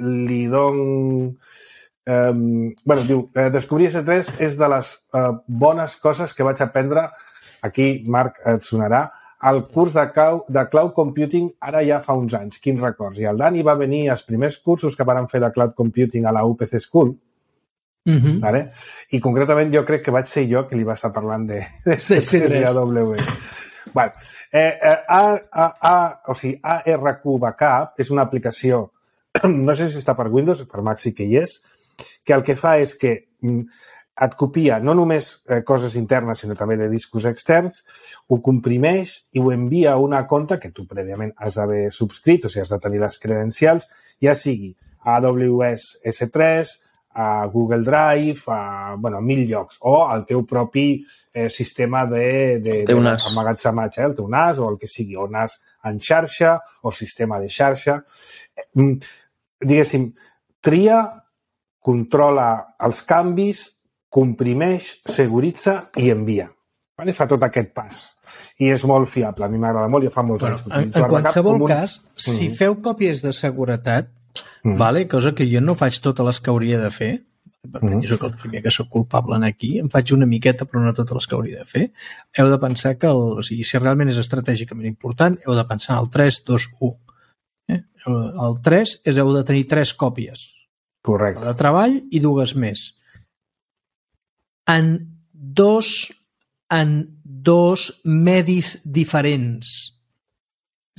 li dono... Eh, bueno, diu, eh, descobrir S tres és de les eh, bones coses que vaig aprendre, aquí, Marc, et sonarà, al curs de cloud, de cloud computing ara ja fa uns anys. Quins records? I el Dani va venir als primers cursos que van fer de cloud computing a la U P C School, mm-hmm. ¿vale? I concretament jo crec que vaig ser jo que li va estar parlant de, de S tres i A W S. Bueno, eh, eh, a, a, a, o sigui, A R Q Backup és una aplicació, no sé si està per Windows, per Mac sí que hi és, que el que fa és que et copia no només eh, coses internes, sinó també de discos externs, ho comprimeix i ho envia a una compte que tu prèviament has d'haver subscrit, o sigui, has de tenir les credencials, ja sigui a A W S S tres, a Google Drive, a, bueno, a mil llocs, o al teu propi eh, sistema de, de, de emmagatzematge, eh, el teu N A S o el que sigui, o N A S en xarxa o sistema de xarxa. Eh, diguéssim, tria, controla els canvis, comprimeix, seguritza i envia. Vale? Fa tot aquest pas. I és molt fiable. A mi m'agrada molt, jo fa molts bueno, anys que utilitzo. En, en qualsevol un... cas, mm-hmm. si feu còpies de seguretat, mm-hmm. vale? Cosa que jo no faig totes les que hauria de fer, per tant, mm-hmm. jo soc el primer que soc culpable en aquí, em faig una miqueta però no totes les que hauria de fer, heu de pensar que, el, o sigui, si realment és estratègicament important, heu de pensar en el tres, dos, u. Eh? El tres és heu de tenir tres còpies. Correcte. De treball i dues més. En dos, en dos medis diferents.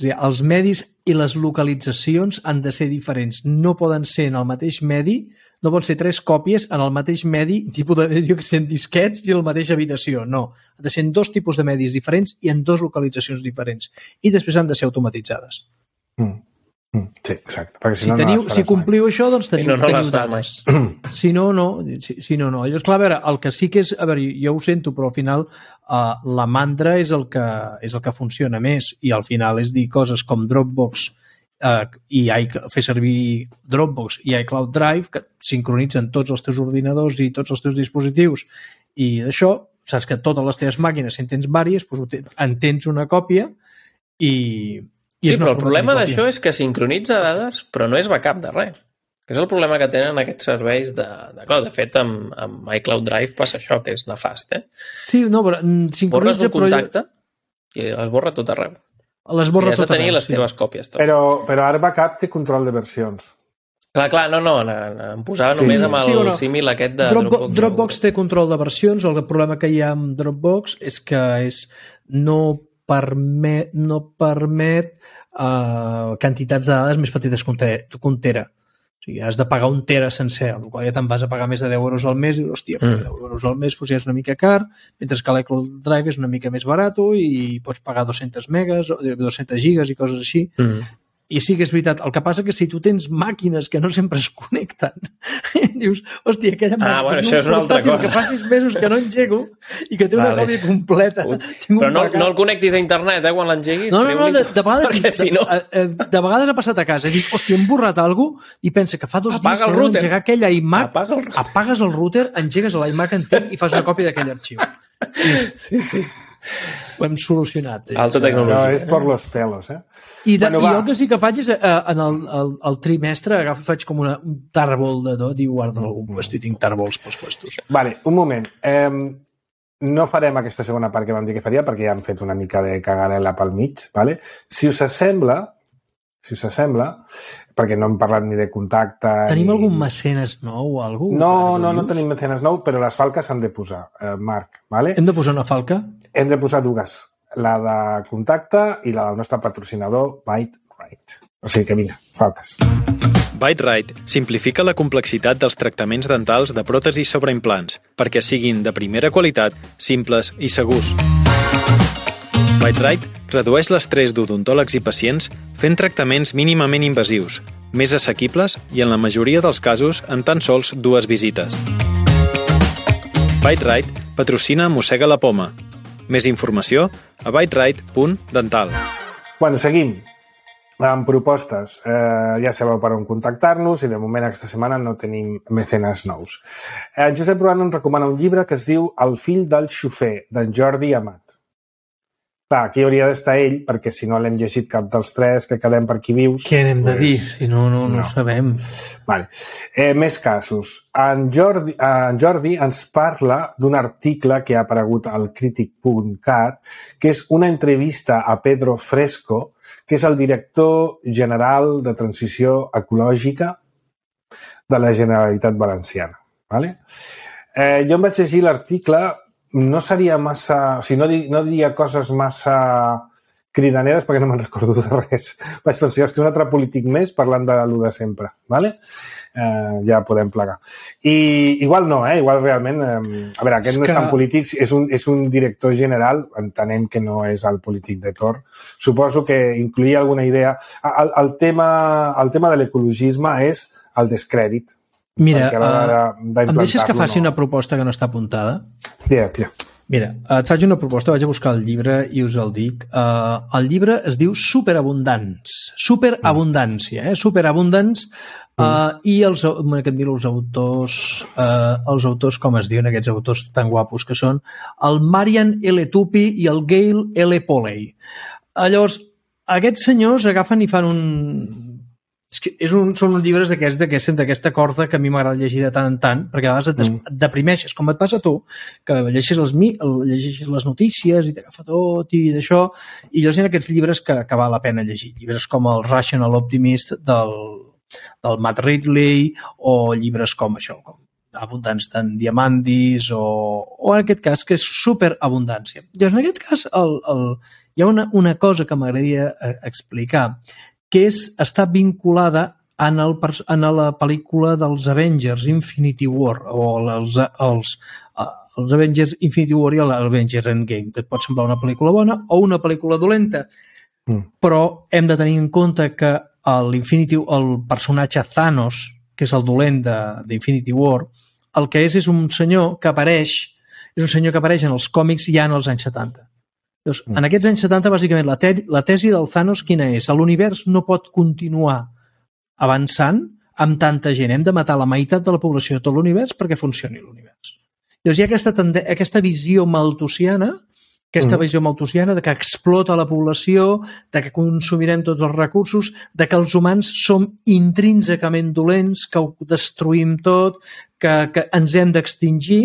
És a dir, els medis i les localitzacions han de ser diferents. No poden ser en el mateix medi, no poden ser tres còpies en el mateix medi, tipus de jo que sé, en disquets i en la mateixa habitació. No. Han de ser en dos tipus de medis diferents i en dos localitzacions diferents. I després han de ser automatitzades. Mm. Sí, exacte. Perquè si, si, no, teniu, no si compliu això, doncs teniu, no, no teniu dades. Si no, no. Si, si no, no. Llavors, clar, a veure, el que sí que és... A veure, jo ho sento, però al final uh, la mandra és el, que, és el que funciona més i al final és dir coses com Dropbox uh, i i, fer servir Dropbox i iCloud Drive que sincronitzen tots els teus ordinadors i tots els teus dispositius i d'això, saps que totes les teves màquines, si en tens vàries, doncs en tens una còpia i... Sí, però el problema d'això és que sincronitza dades, però no és backup de res. Que és el problema que tenen aquests serveis de, de cloud. De fet, amb, amb iCloud Drive passa això, que és nefast, eh? Sí, no, però sincronitza... Borres un contacte però... i es borra tot arreu. Les borra I has tot de tenir arreu, les teves sí. còpies. Tot. Però, però ara backup té control de versions. Clar, clar, no, no, em posava sí. només amb el sí, no. símil aquest de Dropbox. Dropbox. Dropbox té control de versions, el problema que hi ha amb Dropbox és que és no permet, no permet Uh, quantitats de dades més petites que un tera. O sigui, has de pagar un tera sencer, amb la qual ja te'n vas a pagar més de deu euros al mes i, hòstia, mm. deu euros al mes doncs ja és una mica car, mentre que l'iCloud Drive és una mica més barat i pots pagar dos-centes megas, dos-centes gigas i coses així. Mm. I sí que és veritat. El que passa que si tu tens màquines que no sempre es connecten, dius, hòstia, aquella màquina... Ah, bueno, això és una altra cosa. Que fa sis mesos que no engego i que té una vale. còpia completa. Però no, no el connectis a internet, eh, quan l'engeguis. No, no, no, de, de, vegades, perquè si no... de, de vegades ha passat a casa. Dic, hòstia, hem borrat alguna cosa i pensa que fa dos Apaga dies que no engegar aquell iMac, Apaga el... apagues el router, engegues l'iMac antic i fas una còpia d'aquell arxiu. Sí, sí. Ho hem solucionat. Eh? Alta tecnologia. Això és per los pelos, eh? I, de, bueno, i el que sí que faig és, eh, en el, el, el trimestre, agafo, faig com una, un tarbol de tot i guardo en algun puesto i tinc tarbols pels puestos. Vale, un moment. Eh, no farem aquesta segona part que vam dir que faria perquè ja hem fet una mica de cagarela pel mig, vale? Si us sembla, si us sembla, perquè no hem parlat ni de contacte... Tenim ni... algun mecenes nou o alguna cosa? No, no, no tenim mecenes nou, però les falques s'han de posar, eh, Marc, vale? Hem de posar una falca? Hem de posar dues, la de contacte i la del nostre patrocinador, ByteRite. O sigui que vinga, falques. ByteRite simplifica la complexitat dels tractaments dentals de pròtesis sobre implants perquè siguin de primera qualitat, simples i segurs. ByteRite redueix l'estrès d'odontòlegs i pacients fent tractaments mínimament invasius, més assequibles i en la majoria dels casos en tan sols dues visites. ByteRite patrocina Mossega la Poma. Més informació a byterite punt dental. Bueno, seguim. amb propostes. Eh, ja sabeu per on contactar-nos i de moment aquesta setmana no tenim mecenes nous. En Josep Ruano ens recomana un llibre que es diu El fill del xofer, d'en Jordi Amat. Clar, aquí hauria d'estar ell, perquè si no l'hem llegit cap dels tres, que quedem per aquí vius... Què n'hem de pues, dir? Si no, no, no, no. sabem. Vale. Eh, més casos. En Jordi, en Jordi ens parla d'un article que ha aparegut al crític punt cat, que és una entrevista a Pedro Fresco, que és el director general de Transició Ecològica de la Generalitat Valenciana. Vale? Eh, jo em vaig llegir l'article... No seria massa... O sigui, no, di, no diria coses massa cridaneres perquè no me'n recordo de res. Vaig pensar, hosti, un altre polític més parlant de l'u de sempre. Vale? Eh, ja podem plegar. I igual no, eh? Igual realment... Eh, a veure, aquest és no és que... tan polític, és un, és un director general, entenem que no és el polític de torn. Suposo que incluïa alguna idea. El, el, tema, el tema de l'ecologisme és el descrèdit. Mira, uh, em deixes que faci no. una proposta que no està apuntada? Yeah, yeah. Mira, et faig una proposta, vaig a buscar el llibre i us el dic. Uh, el llibre es diu Superabundants. Superabundància, eh? Superabundants. Uh, mm. I els, que et miro els autors, uh, els autors, com es diuen aquests autors tan guapos que són, el Marian L. Tupi i el Gail L. Poley. Uh, llavors, aquests senyors agafen i fan un... És que és un, són uns llibres d'aquests d'aquesta corda que a mi m'agrada llegir de tant en tant, perquè a vegades et, mm. et deprimeixes, com et passa a tu, que llegeixes les, llegeixes les notícies i t'agafa tot i d'això, i llavors hi ha aquests llibres que, que val la pena llegir. Llibres com el Rational Optimist del, del Matt Ridley, o llibres com això, com Abundants d'en Diamandis, o, o en aquest cas, que és Superabundància. Llavors, en aquest cas, el, el, hi ha una, una cosa que m'agradaria explicar, que és, està vinculada en, el, en la pel·lícula dels Avengers Infinity War, o els, els, els Avengers Infinity War i l'Avengers Endgame, que et pot semblar una pel·lícula bona o una pel·lícula dolenta. Mm. Però hem de tenir en compte que l'Infinity, el personatge Thanos, que és el dolent d'Infinity War, el que és és un senyor que apareix, és un senyor que apareix en els còmics ja en els anys setanta. Llavors, en aquests anys setanta, bàsicament, la, te la tesi del Thanos quina és? L'univers no pot continuar avançant amb tanta gent. Hem de matar la meitat de la població de tot l'univers perquè funcioni l'univers. Llavors hi ha aquesta, aquesta visió malthusiana, aquesta mm. visió malthusiana de que explota la població, de que consumirem tots els recursos, de que els humans som intrínsecament dolents, que ho destruïm tot, que, que ens hem d'extingir,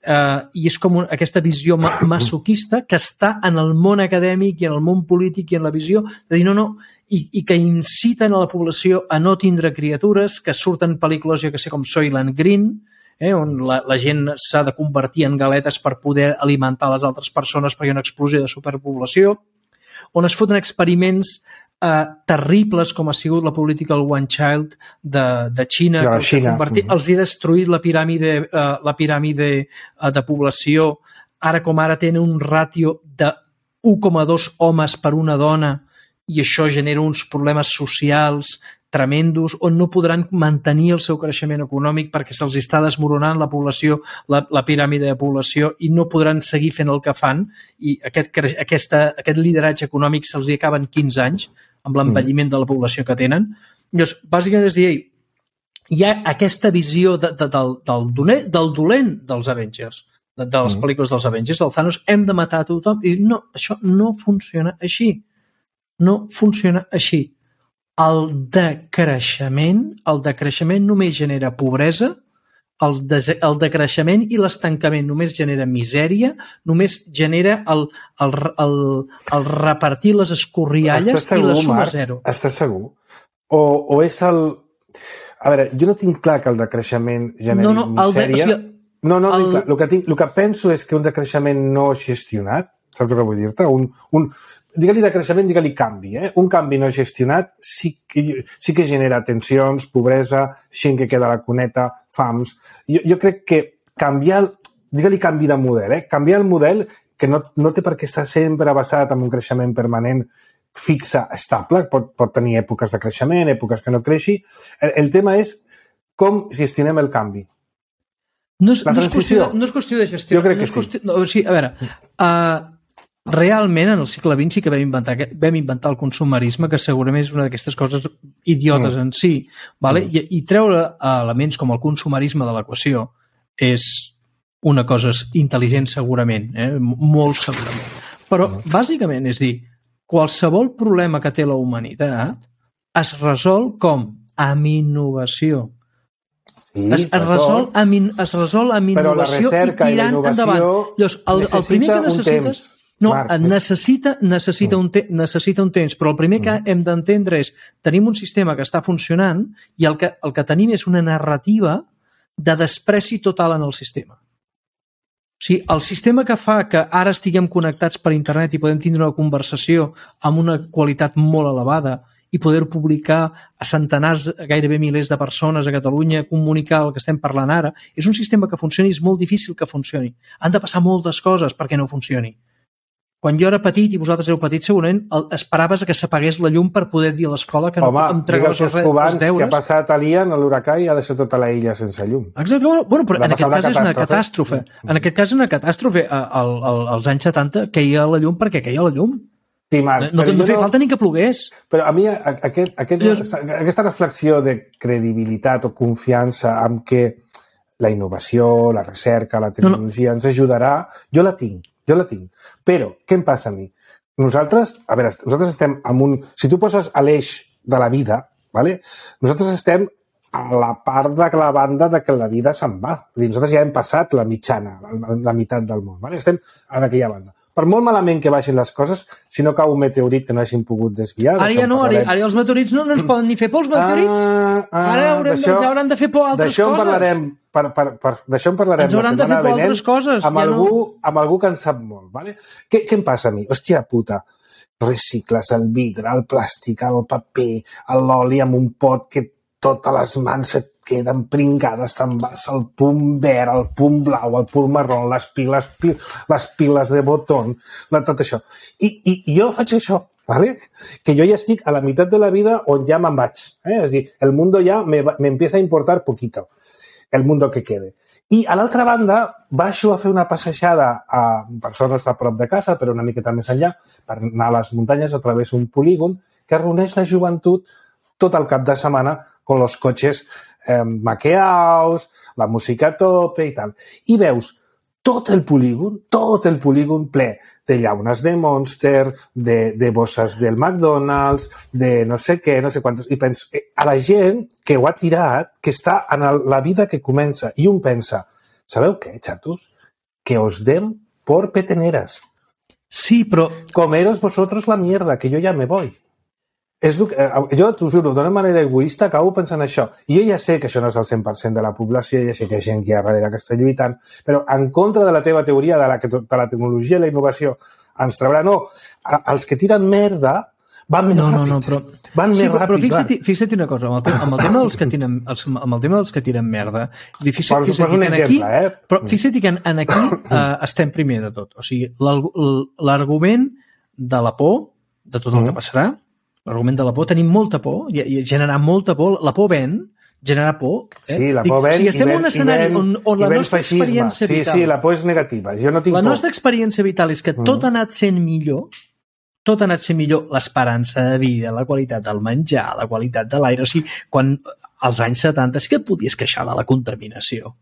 Uh, i és com un, aquesta visió ma masoquista que està en el món acadèmic i en el món polític i en la visió de dir no, no, i, i que inciten a la població a no tindre criatures, que surten pel·lícules, jo que sé, com Soylent Green, eh, on la, la gent s'ha de convertir en galetes per poder alimentar les altres persones perquè hi ha una explosió de superpoblació, on es foten experiments Uh, terribles com ha sigut la política del One Child de, de Xina, ja, que Xina. Convertit, els ha destruït la piràmide, uh, la piràmide uh, de població. Ara com ara tenen un ràtio de u coma dos homes per una dona i això genera uns problemes socials tremendos on no podran mantenir el seu creixement econòmic perquè se'ls està desmoronant la població, la, la piràmide de població i no podran seguir fent el que fan i aquest, aquesta, aquest lideratge econòmic se'ls acaba en quinze anys amb l'envelliment de la població que tenen. Llavors, bàsicament és dir, hi ha aquesta visió de, de, del, del, dolent, del dolent dels Avengers, de, de les pel·lícules dels Avengers, del Thanos, hem de matar a tothom i no, això no funciona així. No funciona així. El decreixement, el decreixement només genera pobresa, el, de, el decreixement i l'estancament només genera misèria, només genera el, el, el, el repartir les escorrialles segur, i la suma Marc, zero. Estàs segur? O, o és el... A veure, jo no tinc clar que el decreixement generi no, no, misèria. El de, o sigui, no, no, el... clar. El, que tinc, el que penso és que un decreixement no gestionat, saps el que vull dir-te? Un... un digue-li decreixement, digue-li canvi. Eh? Un canvi no gestionat sí que, sí que genera tensions, pobresa, gent que queda a la cuneta, fams. Jo, jo crec que canviar, digue-li canvi de model, eh? Canviar el model que no, no té per què estar sempre basat en un creixement permanent fixe, estable, pot, pot tenir èpoques de creixement, èpoques que no creixi. El, el tema és com gestionem el canvi. No és, no és, qüestió, no és qüestió de gestió. Jo crec no que sí. Qüestió, no, o sigui, a veure, uh, realment en el segle vint sí que vam inventar, vam inventar el consumerisme, que segurament és una d'aquestes coses idiotes mm. en si, vale? mm. I, i treure elements com el consumerisme de l'equació és una cosa intel·ligent segurament, eh? molt segurament. Però mm. bàsicament és dir, qualsevol problema que té la humanitat es resol com? Amb innovació. Sí, es, es, resol amb in, es resol amb innovació i tirant i endavant. Llavors, el, el primer que necessites... No, Marc, necessita, necessita, un te necessita un temps, però el primer que hem d'entendre és tenim un sistema que està funcionant i el que, el que tenim és una narrativa de despreci total en el sistema. O sigui, el sistema que fa que ara estiguem connectats per internet i podem tindre una conversació amb una qualitat molt elevada i poder publicar a centenars, gairebé milers de persones a Catalunya, comunicar el que estem parlant ara, és un sistema que funcioni, és molt difícil que funcioni. Han de passar moltes coses perquè no funcioni. Quan jo era petit i vosaltres éreu petits, segurament esperaves que s'apagués la llum per poder dir a l'escola que Home, no entregaves els, els deures. Home, que ha passat a l'Ian, a l'huracà, i ha deixat tota la illa sense llum. Exacte, bueno, bueno però en aquest cas és una catàstrofe. Mm. En aquest cas és una catàstrofe. Al, al, als anys setanta queia la llum perquè queia la llum. Sí, Marc, no no feia no... falta ni que plogués. Però a mi aquest, aquest, Llavors... aquesta reflexió de credibilitat o confiança amb què la innovació, la recerca, la tecnologia no, no. ens ajudarà, jo la tinc. Jo la tinc. Però, què em passa a mi? Nosaltres, a veure, nosaltres estem en un... Si tu poses a l'eix de la vida, ¿vale? Nosaltres estem a la part de la banda de que la vida se'n va. Nosaltres ja hem passat la mitjana, la, la meitat del món, ¿vale? Estem en aquella banda. Per molt malament que baixin les coses, si no cau un meteorit que no hagin pogut desviar... Ara ja no, ara, ara els meteorits no, no ens poden ni fer por, els meteorits. Ah, ah, ara haurem, ens hauran de fer por altres coses. En parlarem, per, per, per, d'això en parlarem ens hauran la setmana de fer por altres coses. Amb, ja algú, no... amb algú que en sap molt. ¿Vale? Què, què em passa a mi? Hòstia puta, recicles el vidre, el plàstic, el paper, l'oli amb un pot que totes les mans et queden pringades, te'n vas al punt verd, al punt blau, al punt marró, les piles, les piles de botó, tot això. I, i, i jo faig això, ¿vale? Que jo ja estic a la meitat de la vida on ja me'n vaig. Eh? És a dir, el mundo ja me, me empieza a importar poquito, el mundo que quede. I, a l'altra banda, baixo a fer una passejada a persones a prop de casa, però una miqueta més enllà, per anar a les muntanyes a través d'un polígon que reuneix la joventut tot el cap de setmana con los coches eh, maqueados, la música a tope i tal. I veus tot el polígon, tot el polígon ple de llaunes de Monster, de, de bosses del McDonald's, de no sé què, no sé quantos. I penso, eh, a la gent que ho ha tirat, que està en el, la vida que comença, i un pensa, sabeu què, xatos? Que os den por peteneras. Sí, però... Comeros vosotros la mierda, que yo ya me voy. És, jo t'ho juro, d'una manera egoista acabo pensant això. I jo ja sé que això no és el cent per cent de la població, ja sé que hi ha gent que hi ha darrere que està lluitant, però en contra de la teva teoria de la, de la tecnologia i la innovació ens traurà, no, els que tiren merda van més no, ràpid. No, no, però... Van sí, més però, ràpid. Però fixa't, fixa't una cosa, amb el, tema, amb el tema dels que tiren, els, amb el tema dels que tiren merda, fixa't, fixa't un exemple, aquí, eh? Però fixa't que en, en aquí uh, estem primer de tot. O sigui, l'argument de la por, de tot el que passarà, l'argument de la por, tenim molta por, i, i generar molta por, la por ven, generar por. Eh? Sí, la por ven, o sigui, estem i ven, en un escenari ven, on, on la nostra feixisme. experiència sí, vital... Sí, sí, la por és negativa. Jo no tinc la por. nostra experiència vital és que tot ha anat sent millor, tot ha anat sent millor, l'esperança de vida, la qualitat del menjar, la qualitat de l'aire. O sigui, quan als anys setanta sí que et podies queixar de la contaminació.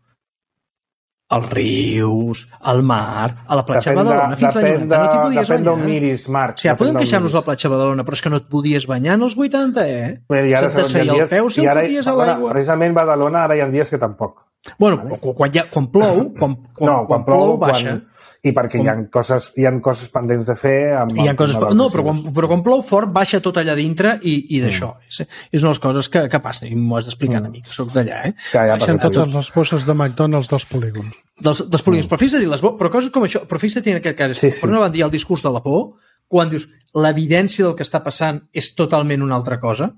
Els rius, el mar, a la platja de Badalona, fins l'any noranta, no t'hi podies depèn banyar. d'on miris, Marc. O sigui, podem queixar-nos de la platja de Badalona, però és que no et podies banyar en els vuitanta, eh? Però i ara, se't desfeia el peu si el foties a l'aigua. Precisament Badalona ara hi ha dies que tampoc. Bueno, vale. quan, ja, quan plou, quan, quan, no, quan, quan plou, plou baixa. Quan, I perquè quan... hi, ha coses, hi ha coses pendents de fer. Amb, hi ha coses, amb no, però quan, però quan plou fort baixa tot allà dintre i, i d'això. Mm. És, és una de les coses que, que passen, i m'ho has d'explicar mm. a mi, que soc d'allà. Eh? Que ja baixen totes les bosses de McDonald's dels polígons. Dels, dels polígons. Mm. Però fixa't, les, però coses com això, però fixa't en aquest cas, sí, sí. Per una banda hi ha el discurs de la por, quan dius l'evidència del que està passant és totalment una altra cosa.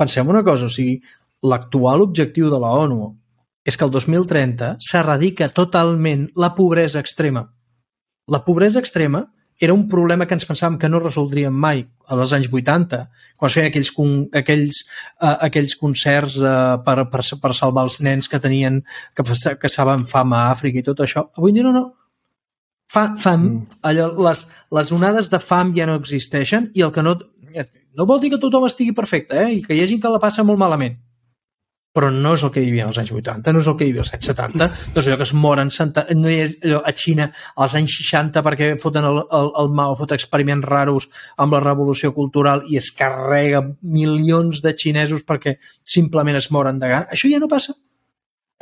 Pensem una cosa, o sigui, l'actual objectiu de la ONU és que el dos mil trenta s'erradica totalment la pobresa extrema. La pobresa extrema era un problema que ens pensàvem que no resoldríem mai als anys vuitanta, quan es feien aquells, aquells, uh, aquells concerts uh, per, per, per salvar els nens que tenien que, que saben fam a Àfrica i tot això. Avui dia no, no. fa, fam, allò, les, les onades de fam ja no existeixen i el que no... No vol dir que tothom estigui perfecte, eh? I que hi ha gent que la passa molt malament. Però no és el que hi havia als anys vuitanta, no és el que hi havia als anys setanta, no és allò que es moren no hi ha allò a Xina als anys seixanta perquè foten el, el, el Mao, foten experiments raros amb la revolució cultural i es carrega milions de xinesos perquè simplement es moren de gana. Això ja no passa.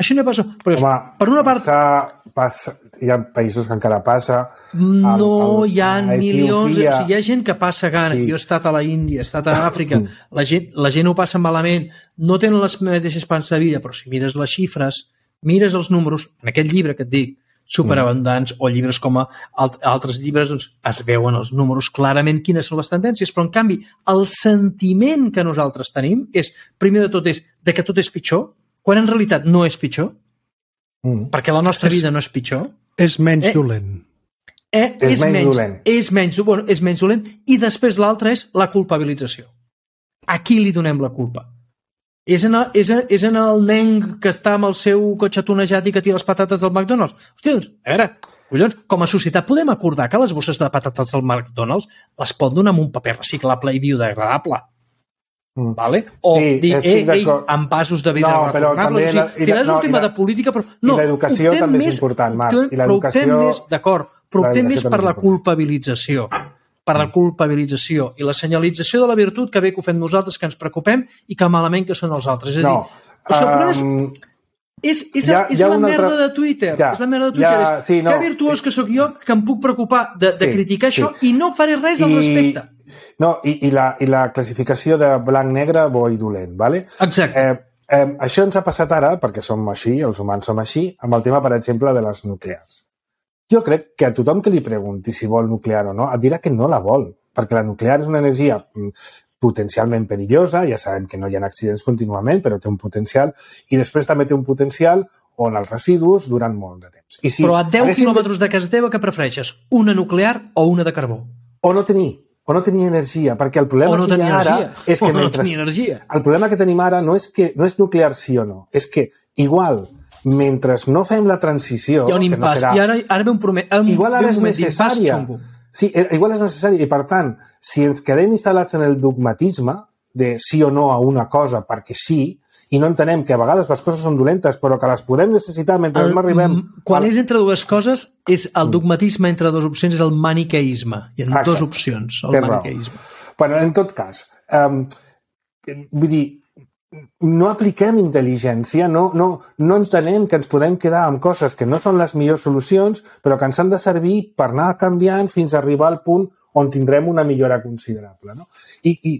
Això no passa. Però Home, per una part... Passa, passa, hi ha països que encara passa. No, el, el, hi ha milions... O sigui, hi ha gent que passa gana. Sí. Jo he estat a la Índia, he estat a Àfrica. La gent, la gent ho passa malament. No tenen les mateixes esperances de vida, però si mires les xifres, mires els números, en aquest llibre que et dic, superabundants, o llibres com a altres llibres, doncs es veuen els números clarament quines són les tendències, però en canvi el sentiment que nosaltres tenim és, primer de tot, és de que tot és pitjor, quan en realitat no és pitjor, mm. perquè la nostra és, vida no és pitjor. És menys eh, dolent. Eh, és, és menys, menys dolent. És menys, bueno, és menys dolent. I després l'altre és la culpabilització. A qui li donem la culpa? És en, el, és, en, és en el nen que està amb el seu cotxe tunejat i que tira les patates del McDonald's? Hòstia, doncs, a veure, collons, com a societat podem acordar que les bosses de patates del McDonald's les pot donar amb un paper reciclable i biodegradable. Mm. Vale? O sí, dir, ei, ei, amb passos de vida no, retornables. O sigui, la, final és un no, tema la, de política, però no, i l'educació també més, és important, Marc. I l'educació... Però més, d'acord, però optem més per la culpabilització. Per la culpabilització i la senyalització de la virtut que bé que ho fem nosaltres, que ens preocupem i que malament que són els altres. És a dir, no, o sigui, el problema és... És, és, ja, és ja la merda altra... de Twitter. Ja, és la merda de Twitter. Ja, és, sí, no. Que virtuós que sóc jo que em puc preocupar de, sí, de criticar sí. això i no faré res I, al respecte. No, i, i, la, i la classificació de blanc-negre, bo i dolent, ¿vale? Exacte. Eh, eh, això ens ha passat ara, perquè som així, els humans som així, amb el tema, per exemple, de les nuclears. Jo crec que a tothom que li pregunti si vol nuclear o no, et dirà que no la vol, perquè la nuclear és una energia potencialment perillosa, ja sabem que no hi ha accidents contínuament, però té un potencial, i després també té un potencial on els residus duren molt de temps. I si però a deu quilòmetres de casa teva, què prefereixes? Una nuclear o una de carbó? O no tenir, o no tenir energia, perquè el problema no que hi ha ara és que o mentre... no tenir energia. El problema que tenim ara no és que no és nuclear sí o no, és que igual, mentre no fem la transició... Hi ha un impàs, no serà... i ara, ara ve un, prome... un, igual ara ve un és necessària. Sí, igual és necessari, i per tant, si ens quedem instal·lats en el dogmatisme de sí o no a una cosa perquè sí, i no entenem que a vegades les coses són dolentes, però que les podem necessitar mentre el, no arribem... Quan és entre dues coses, és el dogmatisme entre dues opcions, és el maniqueisme. Hi ha Exacte. dues opcions, el Té maniqueisme. Raó. Bueno, en tot cas, um, vull dir, no apliquem intel·ligència, no, no, no entenem que ens podem quedar amb coses que no són les millors solucions, però que ens han de servir per anar canviant fins a arribar al punt on tindrem una millora considerable. No? I, i,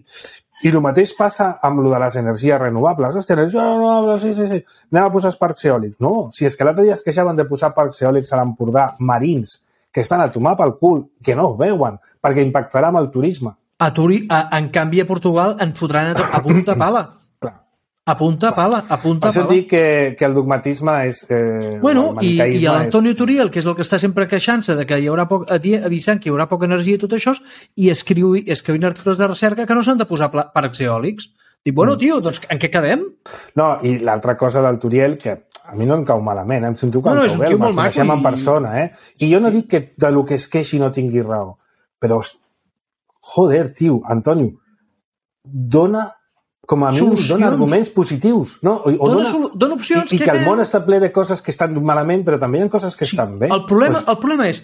i el mateix passa amb lo de les energies renovables. Hòstia, energia renovable, sí, sí, sí. Anem a posar parcs eòlics. No, si és que l'altre dia es queixaven de posar parcs eòlics a l'Empordà marins, que estan a tomar pel cul, que no ho veuen, perquè impactarà amb el turisme. A Turi, a, en canvi, a Portugal en fotran a, a punta pala. A punta pala, a punta pala. Per això dic que, que el dogmatisme és... Eh, bueno, i, i l'Antonio és... Turiel, que és el que està sempre queixant-se de que hi haurà poc, avisant que hi haurà poca energia i tot això, i escriu, escriu articles de recerca que no s'han de posar parcs eòlics. Dic, bueno, tio, doncs en què quedem? No, i l'altra cosa del Turiel, que a mi no em cau malament, em sento que no, no, em cau bé, el coneixem i... en persona, eh? I jo no dic que de lo que es queixi no tingui raó, però, joder, tio, Antonio, dona... com a mínim dona arguments positius. No? O, o dona, dona, dona opcions. I, i que, que el món està ple de coses que estan malament, però també hi ha coses que sí, estan bé. El problema, pues... el problema és,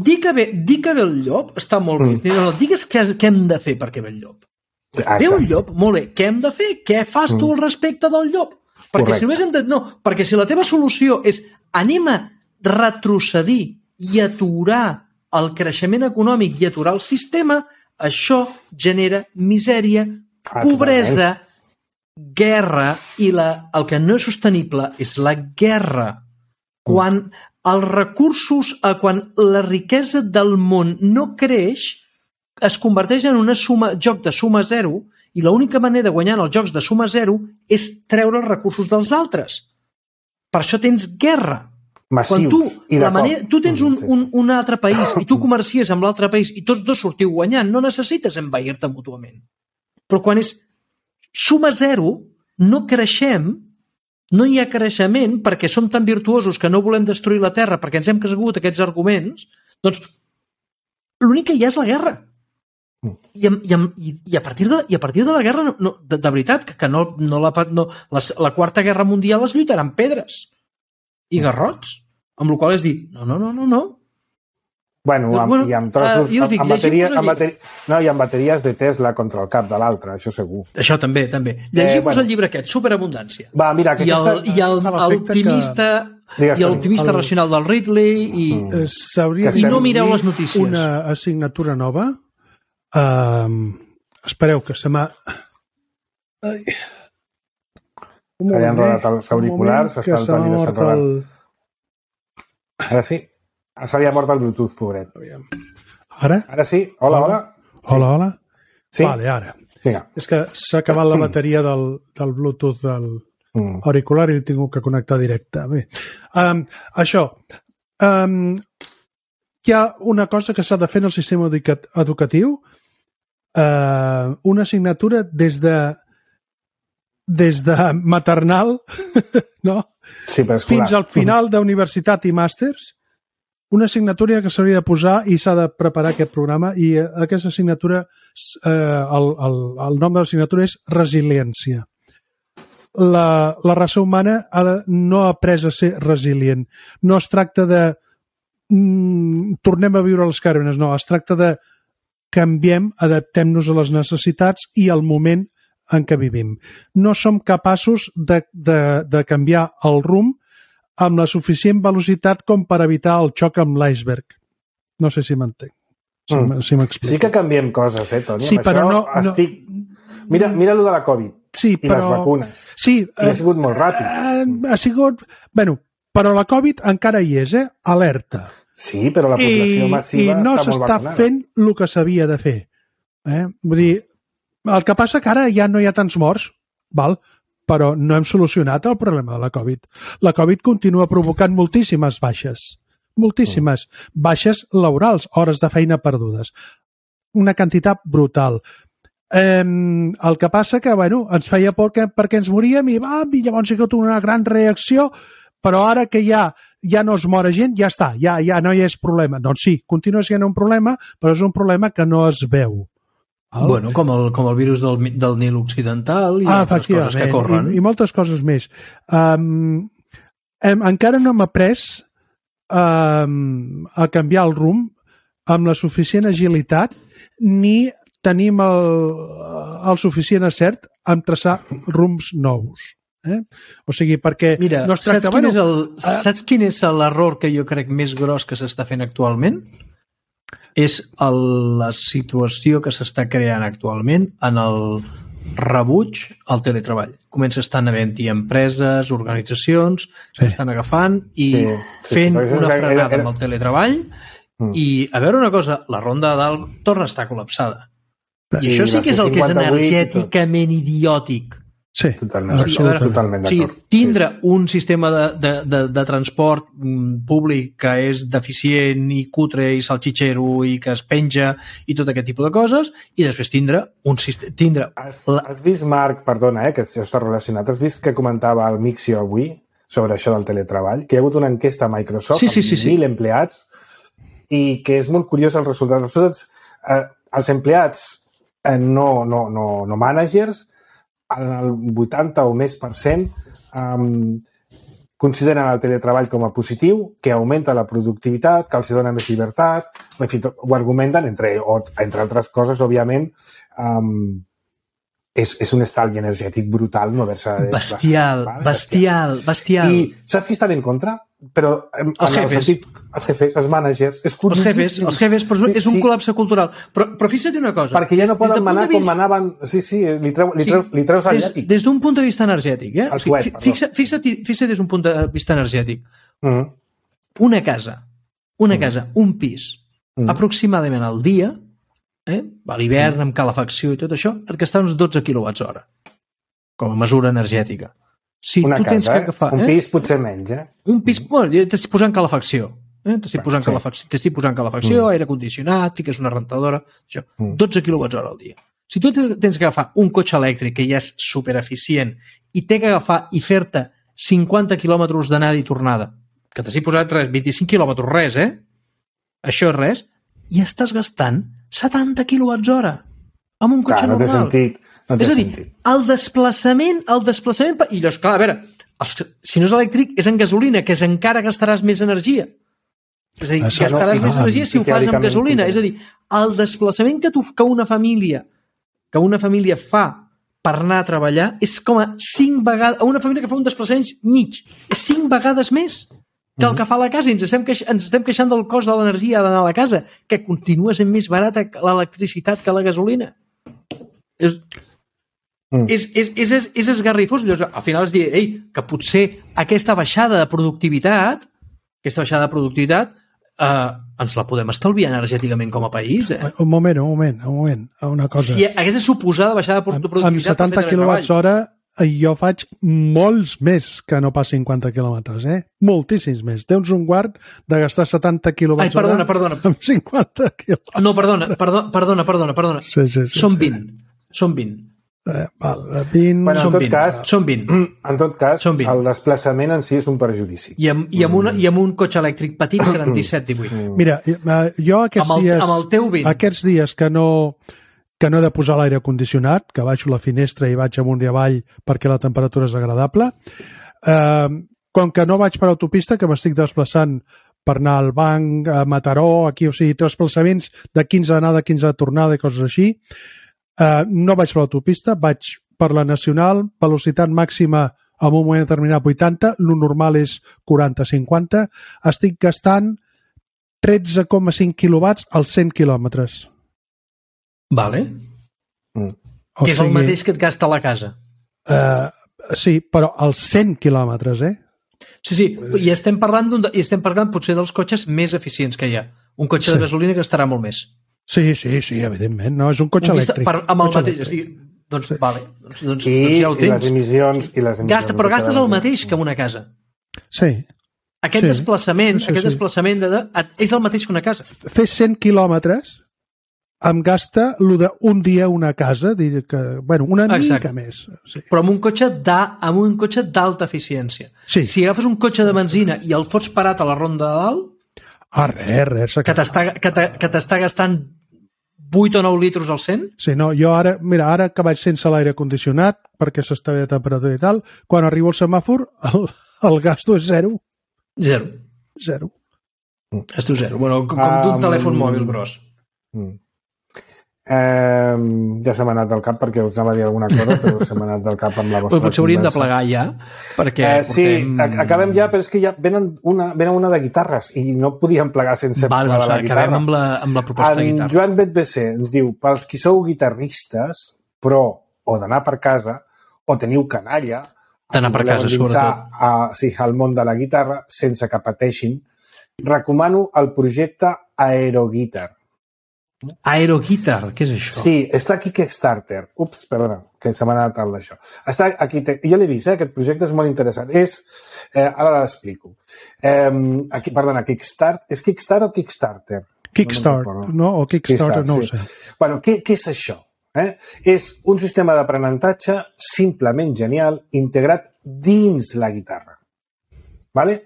dir que, ve, dir que ve el llop està molt bé. Mm. No, digues què, què hem de fer perquè ve el llop. Exacte. Ve un llop, molt bé. Què hem de fer? Què fas mm. tu al respecte del llop? Perquè Correcte. si només hem de... No, perquè si la teva solució és anem a retrocedir i aturar el creixement econòmic i aturar el sistema, això genera misèria, Ah, pobresa, guerra, i la, el que no és sostenible és la guerra. Quan els recursos, quan la riquesa del món no creix, es converteix en una suma, joc de suma zero, i l'única manera de guanyar els jocs de suma zero és treure els recursos dels altres. Per això tens guerra. Massius. Quan tu, I la manera, tu tens un, un, un altre país i tu comercies amb l'altre país i tots dos sortiu guanyant, no necessites envair-te mútuament. Però quan és suma zero, no creixem no hi ha creixement perquè som tan virtuosos que no volem destruir la Terra perquè ens hem cregut aquests arguments, doncs l'únic que hi ha és la guerra. I, i, i, i, a, partir de, i a partir de la guerra, no, de, de veritat, que, que no, no la, no, la, la Quarta Guerra Mundial es lluitaran pedres i garrots, amb la qual és dir, no, no, no, no, no. Bueno, doncs, amb, bueno i amb trossos, uh, dic, amb, bateria, amb, bateri... no, i amb bateries de Tesla contra el cap de l'altre, això segur. Això també, també. Llegim-vos eh, bueno. el llibre aquest, Superabundància. Va, mira, que I el, aquesta... i el, l'optimista que... i l'optimista el... racional del Ridley i, mm. S'hauria i no mireu les notícies. Una assignatura nova. Uh, espereu, que se m'ha... Ai. Se li han enrodat els auriculars, s'està el Toni desenrodant. El... Ara sí. Se li ha mort el Bluetooth, pobret. Ara? Ara sí. Hola, hola. Hola, hola. Sí. Vale, ara. Vinga. És que s'ha acabat la bateria del, del Bluetooth del mm. auricular i l'he tingut que connectar directe. Bé, um, això. Um, hi ha una cosa que s'ha de fer en el sistema educatiu, uh, una assignatura des de des de maternal no? Sí, fins al final d'universitat i màsters, una assignatura que s'hauria de posar i s'ha de preparar aquest programa, i aquesta assignatura, eh, el, el, el nom de l'assignatura és resiliència. La, la raça humana ha de, no ha après a ser resilient. No es tracta de mm, tornem a viure a les càrvenes, no, es tracta de canviem, adaptem-nos a les necessitats i al moment en què vivim. No som capaços de, de, de canviar el rumb amb la suficient velocitat com per evitar el xoc amb l'iceberg. No sé si m'entenc. Si mm. si m'explico. Sí que canviem coses, eh, Toni? Sí, amb però això no, estic... no... Mira, mira lo de la Covid sí, i però... les vacunes. Sí, I ha sigut molt ràpid. Eh, ha sigut... Bueno, però la Covid encara hi és, eh? Alerta. Sí, però la població I, massiva i no està molt s'està vacunada. fent el que s'havia de fer. Eh? Vull dir, el que passa que ara ja no hi ha tants morts, val? Però no hem solucionat el problema de la Covid. La Covid continua provocant moltíssimes baixes. Moltíssimes. Mm. Baixes laborals, hores de feina perdudes. Una quantitat brutal. Eh, el que passa que, bueno, ens feia por que, perquè ens moríem i, va, i llavors hi ha hagut una gran reacció, però ara que ja ja no es mora gent, ja està, ja, ja no hi és problema. Doncs sí, continua sent un problema, però és un problema que no es veu. El... Bueno, com el, com el virus del, del Nil Occidental i ah, altres coses que corren. I, i moltes coses més. Um, hem, encara no hem après um, a canviar el rumb amb la suficient agilitat ni tenim el, el suficient acert en traçar rumbs nous. Eh? O sigui, perquè Mira, no es tracta... Saps quin, bueno, és el, saps quin és l'error que jo crec més gros que s'està fent actualment? És el, la situació que s'està creant actualment en el rebuig al teletreball. Comença estant havent-hi empreses, organitzacions que sí. estan agafant i sí, sí, fent sí, una frenada era, era... amb el teletreball mm. i, a veure una cosa, la ronda de dalt torna a estar col·lapsada. I, I això sí que és el que és energèticament idiòtic. Sí, totalment, o sigui, totalment d'acord. O sigui, tindre sí. un sistema de, de, de, de transport públic que és deficient i cutre i salxitxero i que es penja i tot aquest tipus de coses, i després tindre un sistema... Tindre... Has, has vist, Marc, perdona, eh, que això està relacionat, has vist que comentava el Mixio avui sobre això del teletreball, que hi ha hagut una enquesta a Microsoft sí, sí, sí, amb mil sí. empleats i que és molt curiós el resultat. Els resultats, eh, els empleats eh, no, no, no, no managers, el vuitanta o més per cent um, consideren el teletreball com a positiu, que augmenta la productivitat, que els dona més llibertat, en fi, ho argumenten, entre, o, entre altres coses, òbviament, um, és, és un estalvi energètic brutal no haver-se... Bestial, vale? bestial, bestial. I saps qui estan en contra? Però en, els en jefes. El sentit, els jefes, els managers. És els jefes, els jefes, però és un sí. col·lapse cultural. Però, però fixa't una cosa. Perquè ja no poden manar com manaven... Sí, sí, li, treu, li, treus, li treus el llàtic. Des, des d'un punt de vista energètic, eh? El suet, Fixa, fixa't, fixa't des d'un punt de vista energètic. Mm. Una casa, una casa, mm. un pis, mm. aproximadament al dia, eh? a l'hivern, amb calefacció i tot això, et gasta uns dotze quilowatts hora, com a mesura energètica. Si una tu casa, tens que agafar, eh? Un eh? pis potser menys, eh? Un pis, bueno, t'estic posant calefacció. Eh? T'estic posant, sí. calefacció, t'estic posant calefacció, mm. aire condicionat, fiques una rentadora, això. Mm. dotze quilowatts hora al dia. Si tu tens que agafar un cotxe elèctric que ja és supereficient i té que agafar i fer-te cinquanta quilòmetres d'anada i tornada, que t'has posat res, vint-i-cinc quilòmetres, res, eh? Això és res, i estàs gastant setanta quilowatts hora amb un cotxe clar, no normal. Té sentit, no té és a dir, sentit. el desplaçament, el desplaçament... I llavors, clar, a veure, els, si no és elèctric, és en gasolina, que és encara gastaràs més energia. És a dir, Això gastaràs no, més no, energia si ho fas amb gasolina. És a dir, el desplaçament que, tu, que una família que una família fa per anar a treballar és com a cinc vegades... Una família que fa un desplaçament mig és cinc vegades més que el que fa a la casa. I ens estem, queix, ens estem queixant del cost de l'energia d'anar a la casa, que continua sent més barata l'electricitat que la gasolina. És... Mm. És, és, és, és, és esgarrifós. Llavors, al final es diu, ei, que potser aquesta baixada de productivitat, aquesta baixada de productivitat, eh, ens la podem estalviar energèticament com a país. Eh? Un moment, un moment, un moment, una cosa. Si aquesta suposada baixada de productivitat... Amb setanta quilowatts hora jo faig molts més que no pas cinquanta quilòmetres, eh? Moltíssims més. Tens un guard de gastar setanta quilowatts Ai, perdona, perdona. amb cinquanta quilòmetres. No, perdona, perdona, perdona, perdona. perdona. Sí, sí, sí, Són sí. vint. Són vint. Eh, val, vint... Bueno, en Són tot vint. cas, Són vint. En tot cas, Són vint. el desplaçament en si és un perjudici. I amb, i amb, una, i amb un cotxe elèctric petit seran disset divuit. Mira, jo aquests Amb el- dies... amb el teu vint. Aquests dies que no, que no he de posar l'aire condicionat, que baixo la finestra i vaig amunt i avall perquè la temperatura és agradable, eh, com que no vaig per autopista, que m'estic desplaçant per anar al banc, a Mataró, aquí, o sigui, desplaçaments de quinze d'anada, quinze de tornada i coses així, eh, no vaig per l'autopista, vaig per la nacional, velocitat màxima en un moment determinat vuitanta, lo normal és quaranta cinquanta, estic gastant tretze coma cinc quilowatts als cent quilòmetres. Vale. Mm. O Que és el sigui, mateix que et gasta a la casa. Uh, sí, però als cent quilòmetres, eh? Sí, sí, i estem parlant, d'un, i estem parlant potser dels cotxes més eficients que hi ha. Un cotxe Sí. de gasolina que estarà molt més. Sí, sí, sí, evidentment. No, és un cotxe Un vista- elèctric. Per, amb el Cotxe mateix. És elèctric. dir, doncs, sí. Vale, doncs, doncs, I, doncs ja ho i tens. les emissions... I les emissions Gasta, però gastes el de- mateix que en una casa. Sí. Aquest Sí. desplaçament, Sí, aquest sí. desplaçament de, de, és el mateix que una casa. Fer cent quilòmetres em gasta el d'un dia una casa, dir que, bueno, una Exacte. mica més. Sí. Però amb un cotxe d'à- amb un cotxe d'alta eficiència. Sí. Si agafes un cotxe de benzina i el fots parat a la ronda de dalt, Ah, res, res. s'ha que t'està que t'ha- que t'està gastant vuit o nou litros al cent, Sí, no, jo ara, mira, ara que vaig sense l'aire condicionat, perquè s'està bé de temperatura i tal, quan arribo al semàfor, el, el gasto és zero. zero. Zero. Gasto zero. Bueno, com Ah, d'un telèfon mm. mòbil gros. Mm. Eh, ja se m'ha anat del cap perquè us anava a dir alguna cosa, però se m'ha anat del cap amb la vostra Però potser hauríem de conversa. plegar ja, perquè Eh, sí, portem... ac- acabem ja, però és que ja venen una, venen una de guitarres i no podíem plegar sense Val, plegar doncs la acabem guitarra. amb la, amb la proposta de En guitarra. Joan Betbc ens diu, pels qui sou guitarristes, però o d'anar per casa, o teniu canalla, D'anar per casa, sobretot. A, sí, al món de la guitarra, sense que pateixin, recomano el projecte Aeroguitar. Aeroguitar, què és això? Sí, està aquí Kickstarter. Ups, perdona, que se m'ha anat el d'això. Està aquí, te... jo l'he vist, eh? Aquest projecte és molt interessant. És, eh, ara l'explico. Eh, aquí, perdona, Kickstarter. És Kickstarter o Kickstarter? Kickstart, No, no? O Kickstarter, no ho sí. sé. Bueno, què, què és això? Eh? És un sistema d'aprenentatge simplement genial integrat dins la guitarra. Vale?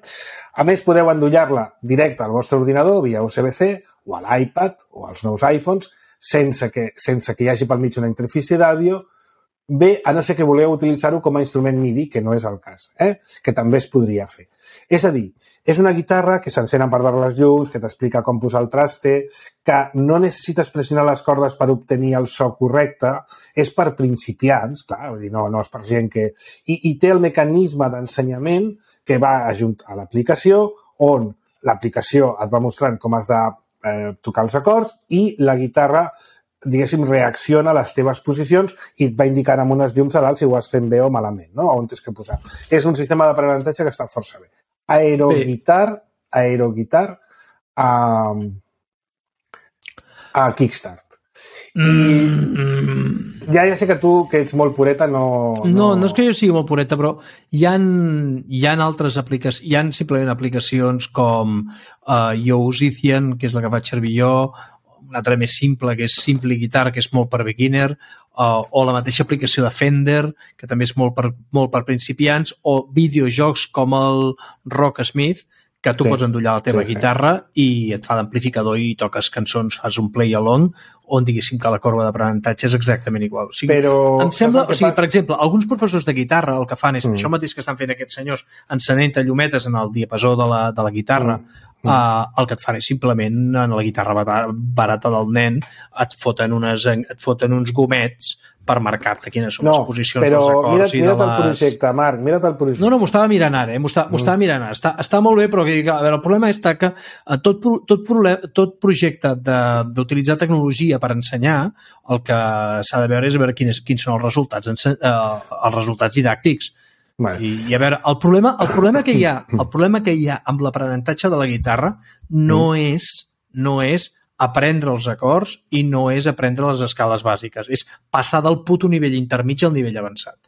A més, podeu endollar-la directe al vostre ordinador via U S B C o a l'iPad o als nous iPhones sense que, sense que hi hagi pel mig una interfície d'àudio, bé, a no ser que voleu utilitzar-ho com a instrument MIDI, que no és el cas, eh? Que també es podria fer. És a dir, és una guitarra que s'encén per veure les llums, que t'explica com posar el traste, que no necessites pressionar les cordes per obtenir el so correcte, és per principiants, clar, vull dir, no, no és per gent que... I, i té el mecanisme d'ensenyament que va ajunt a l'aplicació, on l'aplicació et va mostrant com has de eh, tocar els acords i la guitarra diguéssim, reacciona a les teves posicions i et va indicant amb unes llums a dalt si ho has fent bé o malament, no? On tens que posar. És un sistema d'aprenentatge que està força bé. Aeroguitar, Aeroguitar a, a Kickstart. Mm, Ja, ja sé que tu, que ets molt pureta, no... no, no és que jo sigui molt pureta, però hi ha, hi ha altres aplicacions, hi ha simplement aplicacions com uh, Yousithian, que és la que faig servir jo, una altra més simple, que és Simply Guitar, que és molt per beginner, uh, o la mateixa aplicació de Fender, que també és molt per, molt per principiants, o videojocs com el Rocksmith, que tu sí, pots endollar la teva sí, guitarra sí. i et fa d'amplificador i toques cançons, fas un play along, on diguéssim que la corba d'aprenentatge és exactament igual. O sigui, Però, em sembla, o sigui, passa? Per exemple, alguns professors de guitarra el que fan és mm. això mateix que estan fent aquests senyors, encenent llumetes en el diapasó de la, de la guitarra, mm. Mm. Uh, el que et fan és simplement en la guitarra barata del nen et foten, unes, et foten uns gomets per marcar-te quines són no, les posicions dels acords. No, mira't, i mira't de les... el projecte, Marc, mira't el projecte. No, no, m'ho estava mirant ara, eh? m'ho estava, mm. estava mirant ara. Està, està molt bé, però que, a veure, el problema és que tot, tot, problem, tot projecte d'utilitzar tecnologia per ensenyar, el que s'ha de veure és veure quins, quins són els resultats, uh, els resultats didàctics. Bueno. I, I a veure, el problema, el problema que hi ha, el problema que hi ha amb l'aprenentatge de la guitarra no mm. és, no és aprendre els acords i no és aprendre les escales bàsiques, és passar del puto nivell intermig al nivell avançat.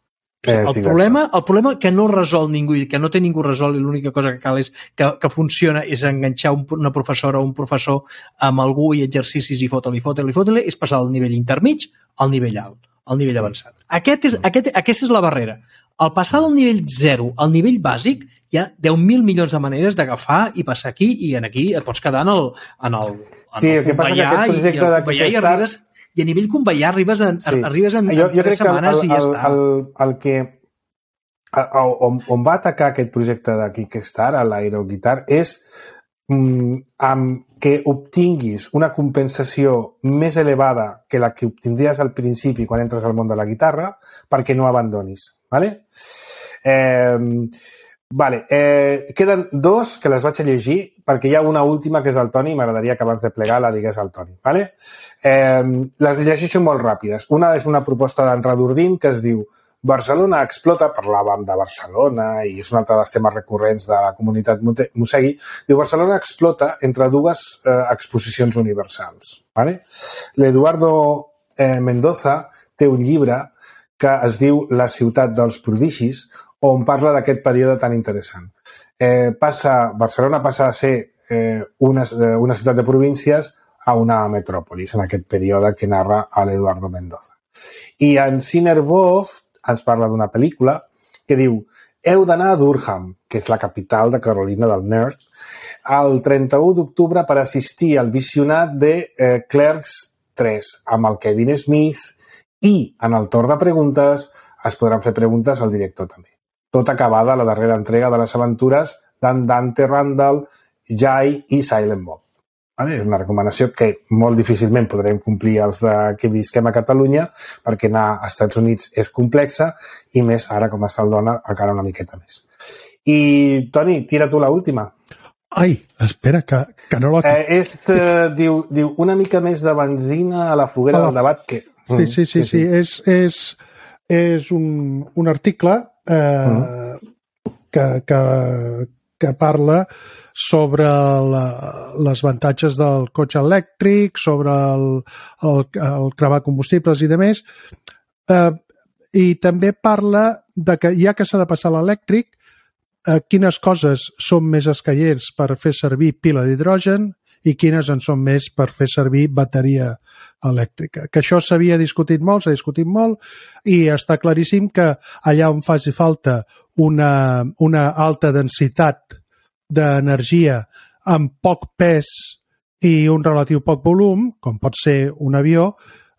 Eh, el, problema, el problema que no resol ningú i que no té ningú resol i l'única cosa que cal és que, que funciona és enganxar un, una professora o un professor amb algú i exercicis i fotre-li, fotre-li, fotre-li, és passar del nivell intermig al nivell alt, al nivell avançat. Aquest és, aquest, aquesta és la barrera. Al passar del nivell zero al nivell bàsic hi ha deu mil milions de maneres d'agafar i passar aquí i en aquí et pots quedar en el, en el, en sí, el conveiar i, i, el conveiar i arribes i a nivell conveiar arribes en, sí. arribes en, jo, jo en tres setmanes el, el, i ja està. El, el, el que on, on va atacar aquest projecte de Kickstarter, a l'Aeroguitar, és mm, amb que obtinguis una compensació més elevada que la que obtindries al principi quan entres al món de la guitarra perquè no abandonis. Vale? Eh, vale. Eh, queden dos que les vaig a llegir perquè hi ha una última que és del Toni i m'agradaria que abans de plegar la digués al Toni. Vale? Eh, les llegeixo molt ràpides. Una és una proposta d'en Radurdin que es diu Barcelona explota, parlàvem de Barcelona i és un altre dels temes recurrents de la comunitat Mosegui, diu Barcelona explota entre dues eh, exposicions universals. Vale? L'Eduardo eh, Mendoza té un llibre que es diu La ciutat dels prodigis, on parla d'aquest període tan interessant. Eh, passa, Barcelona passa a ser eh, una, una ciutat de províncies a una metròpolis, en aquest període que narra l'Eduardo Mendoza. I en Sinnerbov ens parla d'una pel·lícula que diu heu d'anar a Durham, que és la capital de Carolina del Nord, el trenta-u d'octubre per assistir al visionat de eh, Clerks tres, amb el Kevin Smith, i en el torn de preguntes es podran fer preguntes al director també. Tot acabada la darrera entrega de les aventures d'en Dante Randall, Jai i Silent Bob. Vale? És una recomanació que molt difícilment podrem complir els de que visquem a Catalunya perquè anar als Estats Units és complexa i més ara com està el dòlar encara una miqueta més. I Toni, tira tu l'última. Ai, espera, que, que no la... Eh, és, eh, diu, diu una mica més de benzina a la foguera a la... del debat que... Sí, sí, sí, sí, sí. És, és, és un, un article eh, uh-huh. que, que, que parla sobre la, les avantatges del cotxe elèctric, sobre el, el, el cremar combustibles i demés, eh, i també parla de que ja que s'ha de passar l'elèctric, eh, quines coses són més escaients per fer servir pila d'hidrogen i quines en són més per fer servir bateria elèctrica. Que això s'havia discutit molt, s'ha discutit molt, i està claríssim que allà on faci falta una, una alta densitat d'energia amb poc pes i un relatiu poc volum, com pot ser un avió,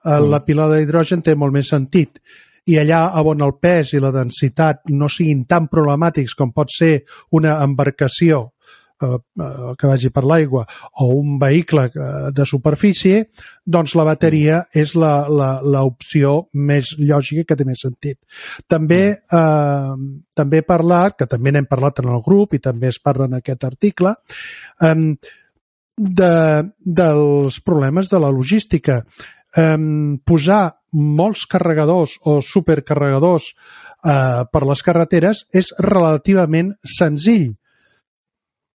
mm. la pila d'hidrogen té molt més sentit. I allà on el pes i la densitat no siguin tan problemàtics com pot ser una embarcació que vagi per l'aigua o un vehicle de superfície, doncs la bateria és l'opció més lògica que té més sentit. També, eh, també he parlat, que també n'hem parlat en el grup i també es parla en aquest article, eh, de, dels problemes de la logística. Eh, posar molts carregadors o supercarregadors eh, per les carreteres és relativament senzill.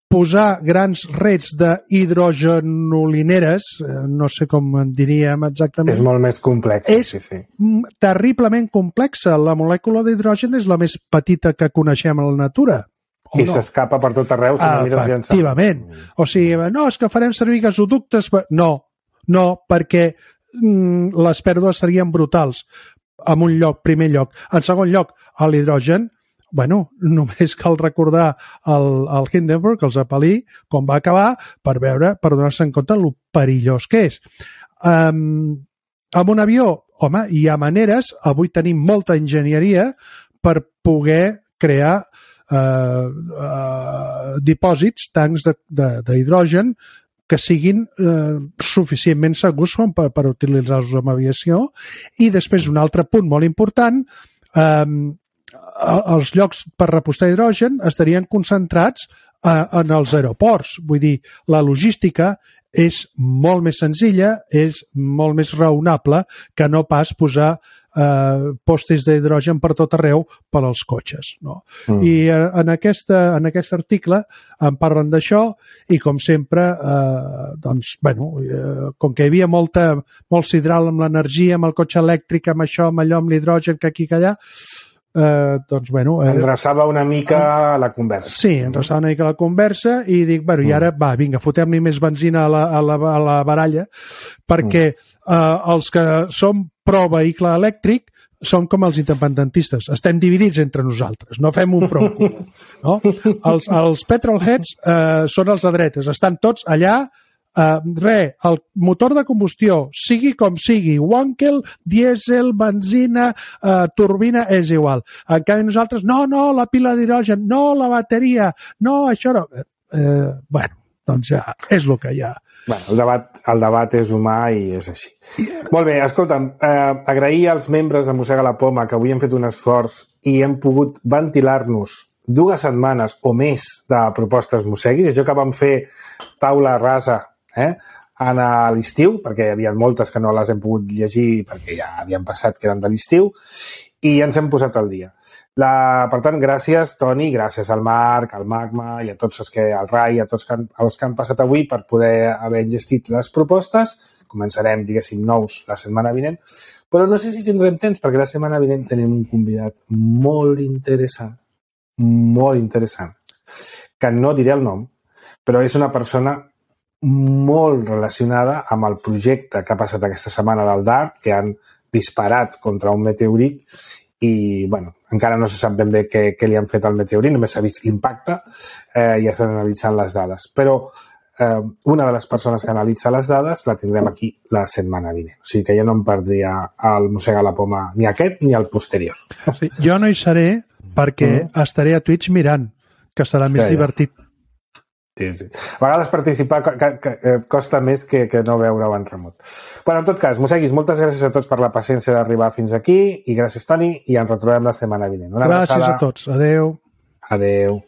Posar grans rets d'hidrogenolineres, no sé com en diríem exactament... És molt més complex. És sí, sí. terriblement complexa. La molècula d'hidrogen és la més petita que coneixem a la natura. I no? S'escapa per tot arreu si no mires llançar. Efectivament. O sigui, no, és que farem servir gasoductes... No, No, perquè mm, les pèrdues serien brutals en un lloc, primer lloc. En segon lloc, a l'hidrogen, bueno, només cal recordar el, el Hindenburg, el Zeppelin, com va acabar, per veure, per donar-se en compte el perillós que és. Um, amb un avió, home, hi ha maneres, avui tenim molta enginyeria per poder crear Uh, uh, dipòsits, tancs d'hidrogen que siguin uh, suficientment segurs com per, per utilitzar-los en aviació. I després un altre punt molt important, um, els llocs per repostar hidrogen estarien concentrats uh, en els aeroports. Vull dir, la logística és molt més senzilla, és molt més raonable que no pas posar Uh, postes d'hidrogen per tot arreu per als cotxes. No? Mm. I uh, en, aquesta, en aquest article en parlen d'això i, com sempre, uh, doncs, bueno, uh, com que hi havia molta, molt sidral amb l'energia, amb el cotxe elèctric, amb això, amb allò, amb l'hidrogen, que aquí que allà, uh, doncs, bueno... Uh, enreçava una mica la conversa. Sí, enreçava una mica la conversa i dic, bueno, mm. i ara, va, vinga, fotem-li més benzina a la, a la, a la baralla, perquè mm. uh, els que som pro vehicle elèctric som com els independentistes. Estem dividits entre nosaltres. No fem un front comú. No? Els, els petrolheads eh, són els de dretes. Estan tots allà. Eh, re, el motor de combustió, sigui com sigui, Wankel, dièsel, benzina, eh, turbina, és igual. En canvi nosaltres, no, no, la pila d'hidrogen, no, la bateria, no, això no. Eh, bueno, doncs ja és el que hi ha. Bueno, el debat, el debat és humà i és així. Molt bé, escolta'm, eh, agrair als membres de Mossega la Poma que avui hem fet un esforç i hem pogut ventilar-nos dues setmanes o més de propostes mosseguis. Això que vam fer taula rasa eh, en l'estiu, perquè hi havia moltes que no les hem pogut llegir perquè ja havien passat que eren de l'estiu, i ens hem posat al dia. La, per tant, gràcies, Toni, gràcies al Marc, al Magma i a tots els que, al Rai, a tots que han, els que han passat avui per poder haver enllestit les propostes. Començarem, diguéssim, nous la setmana vinent, però no sé si tindrem temps, perquè la setmana vinent tenim un convidat molt interessant, molt interessant, que no diré el nom, però és una persona molt relacionada amb el projecte que ha passat aquesta setmana del DART, que han disparat contra un meteorit i, bueno, encara no se sap ben bé què, què li han fet al meteorit, només s'ha vist l'impacte eh, i ja s'han analitzat les dades. Però eh, una de les persones que analitza les dades la tindrem aquí la setmana vinent. O sigui que jo no em perdria el Mossega la Poma ni aquest ni el posterior. Sí, jo no hi seré perquè mm. estaré a Twitch mirant, que serà més ja, ja. divertit. Sí, sí. A vegades participar que, que, que costa més que, que no veure-ho en remot. Bueno, en tot cas, Mosseguis, moltes gràcies a tots per la paciència d'arribar fins aquí i gràcies, Toni, i ens retrobem la setmana vinent. Una gràcies abraçada. A tots. Adeu. Adeu.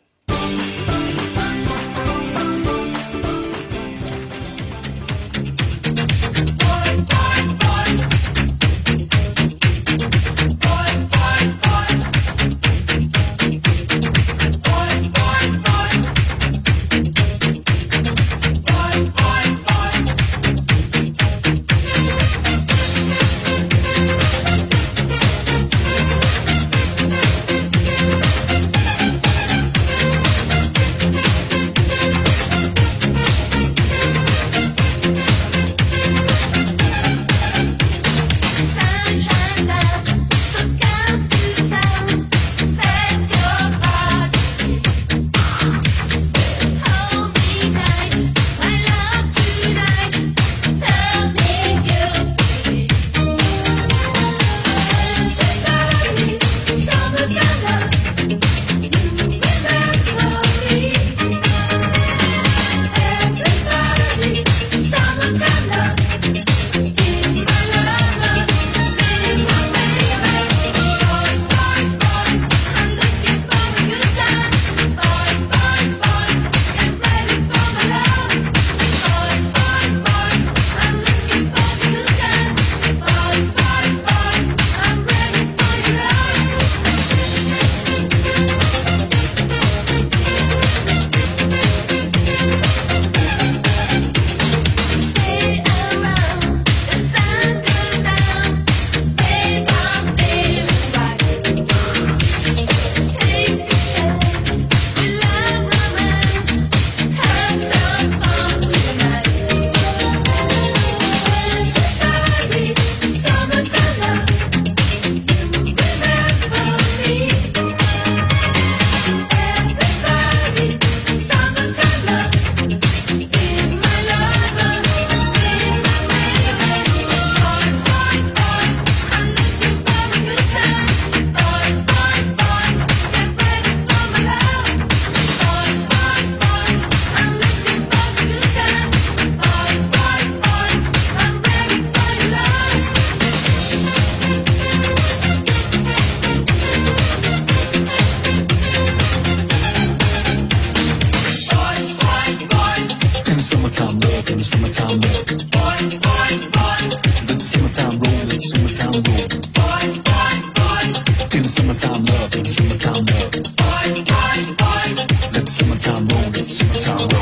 love in the summertime love. Boy, boy, boy. Let the summertime roll, let the summertime roll. Boy, boy, boy. In the summertime love, in the summertime love. Boy, boy, boy. Let the summertime roll, let the summertime roll.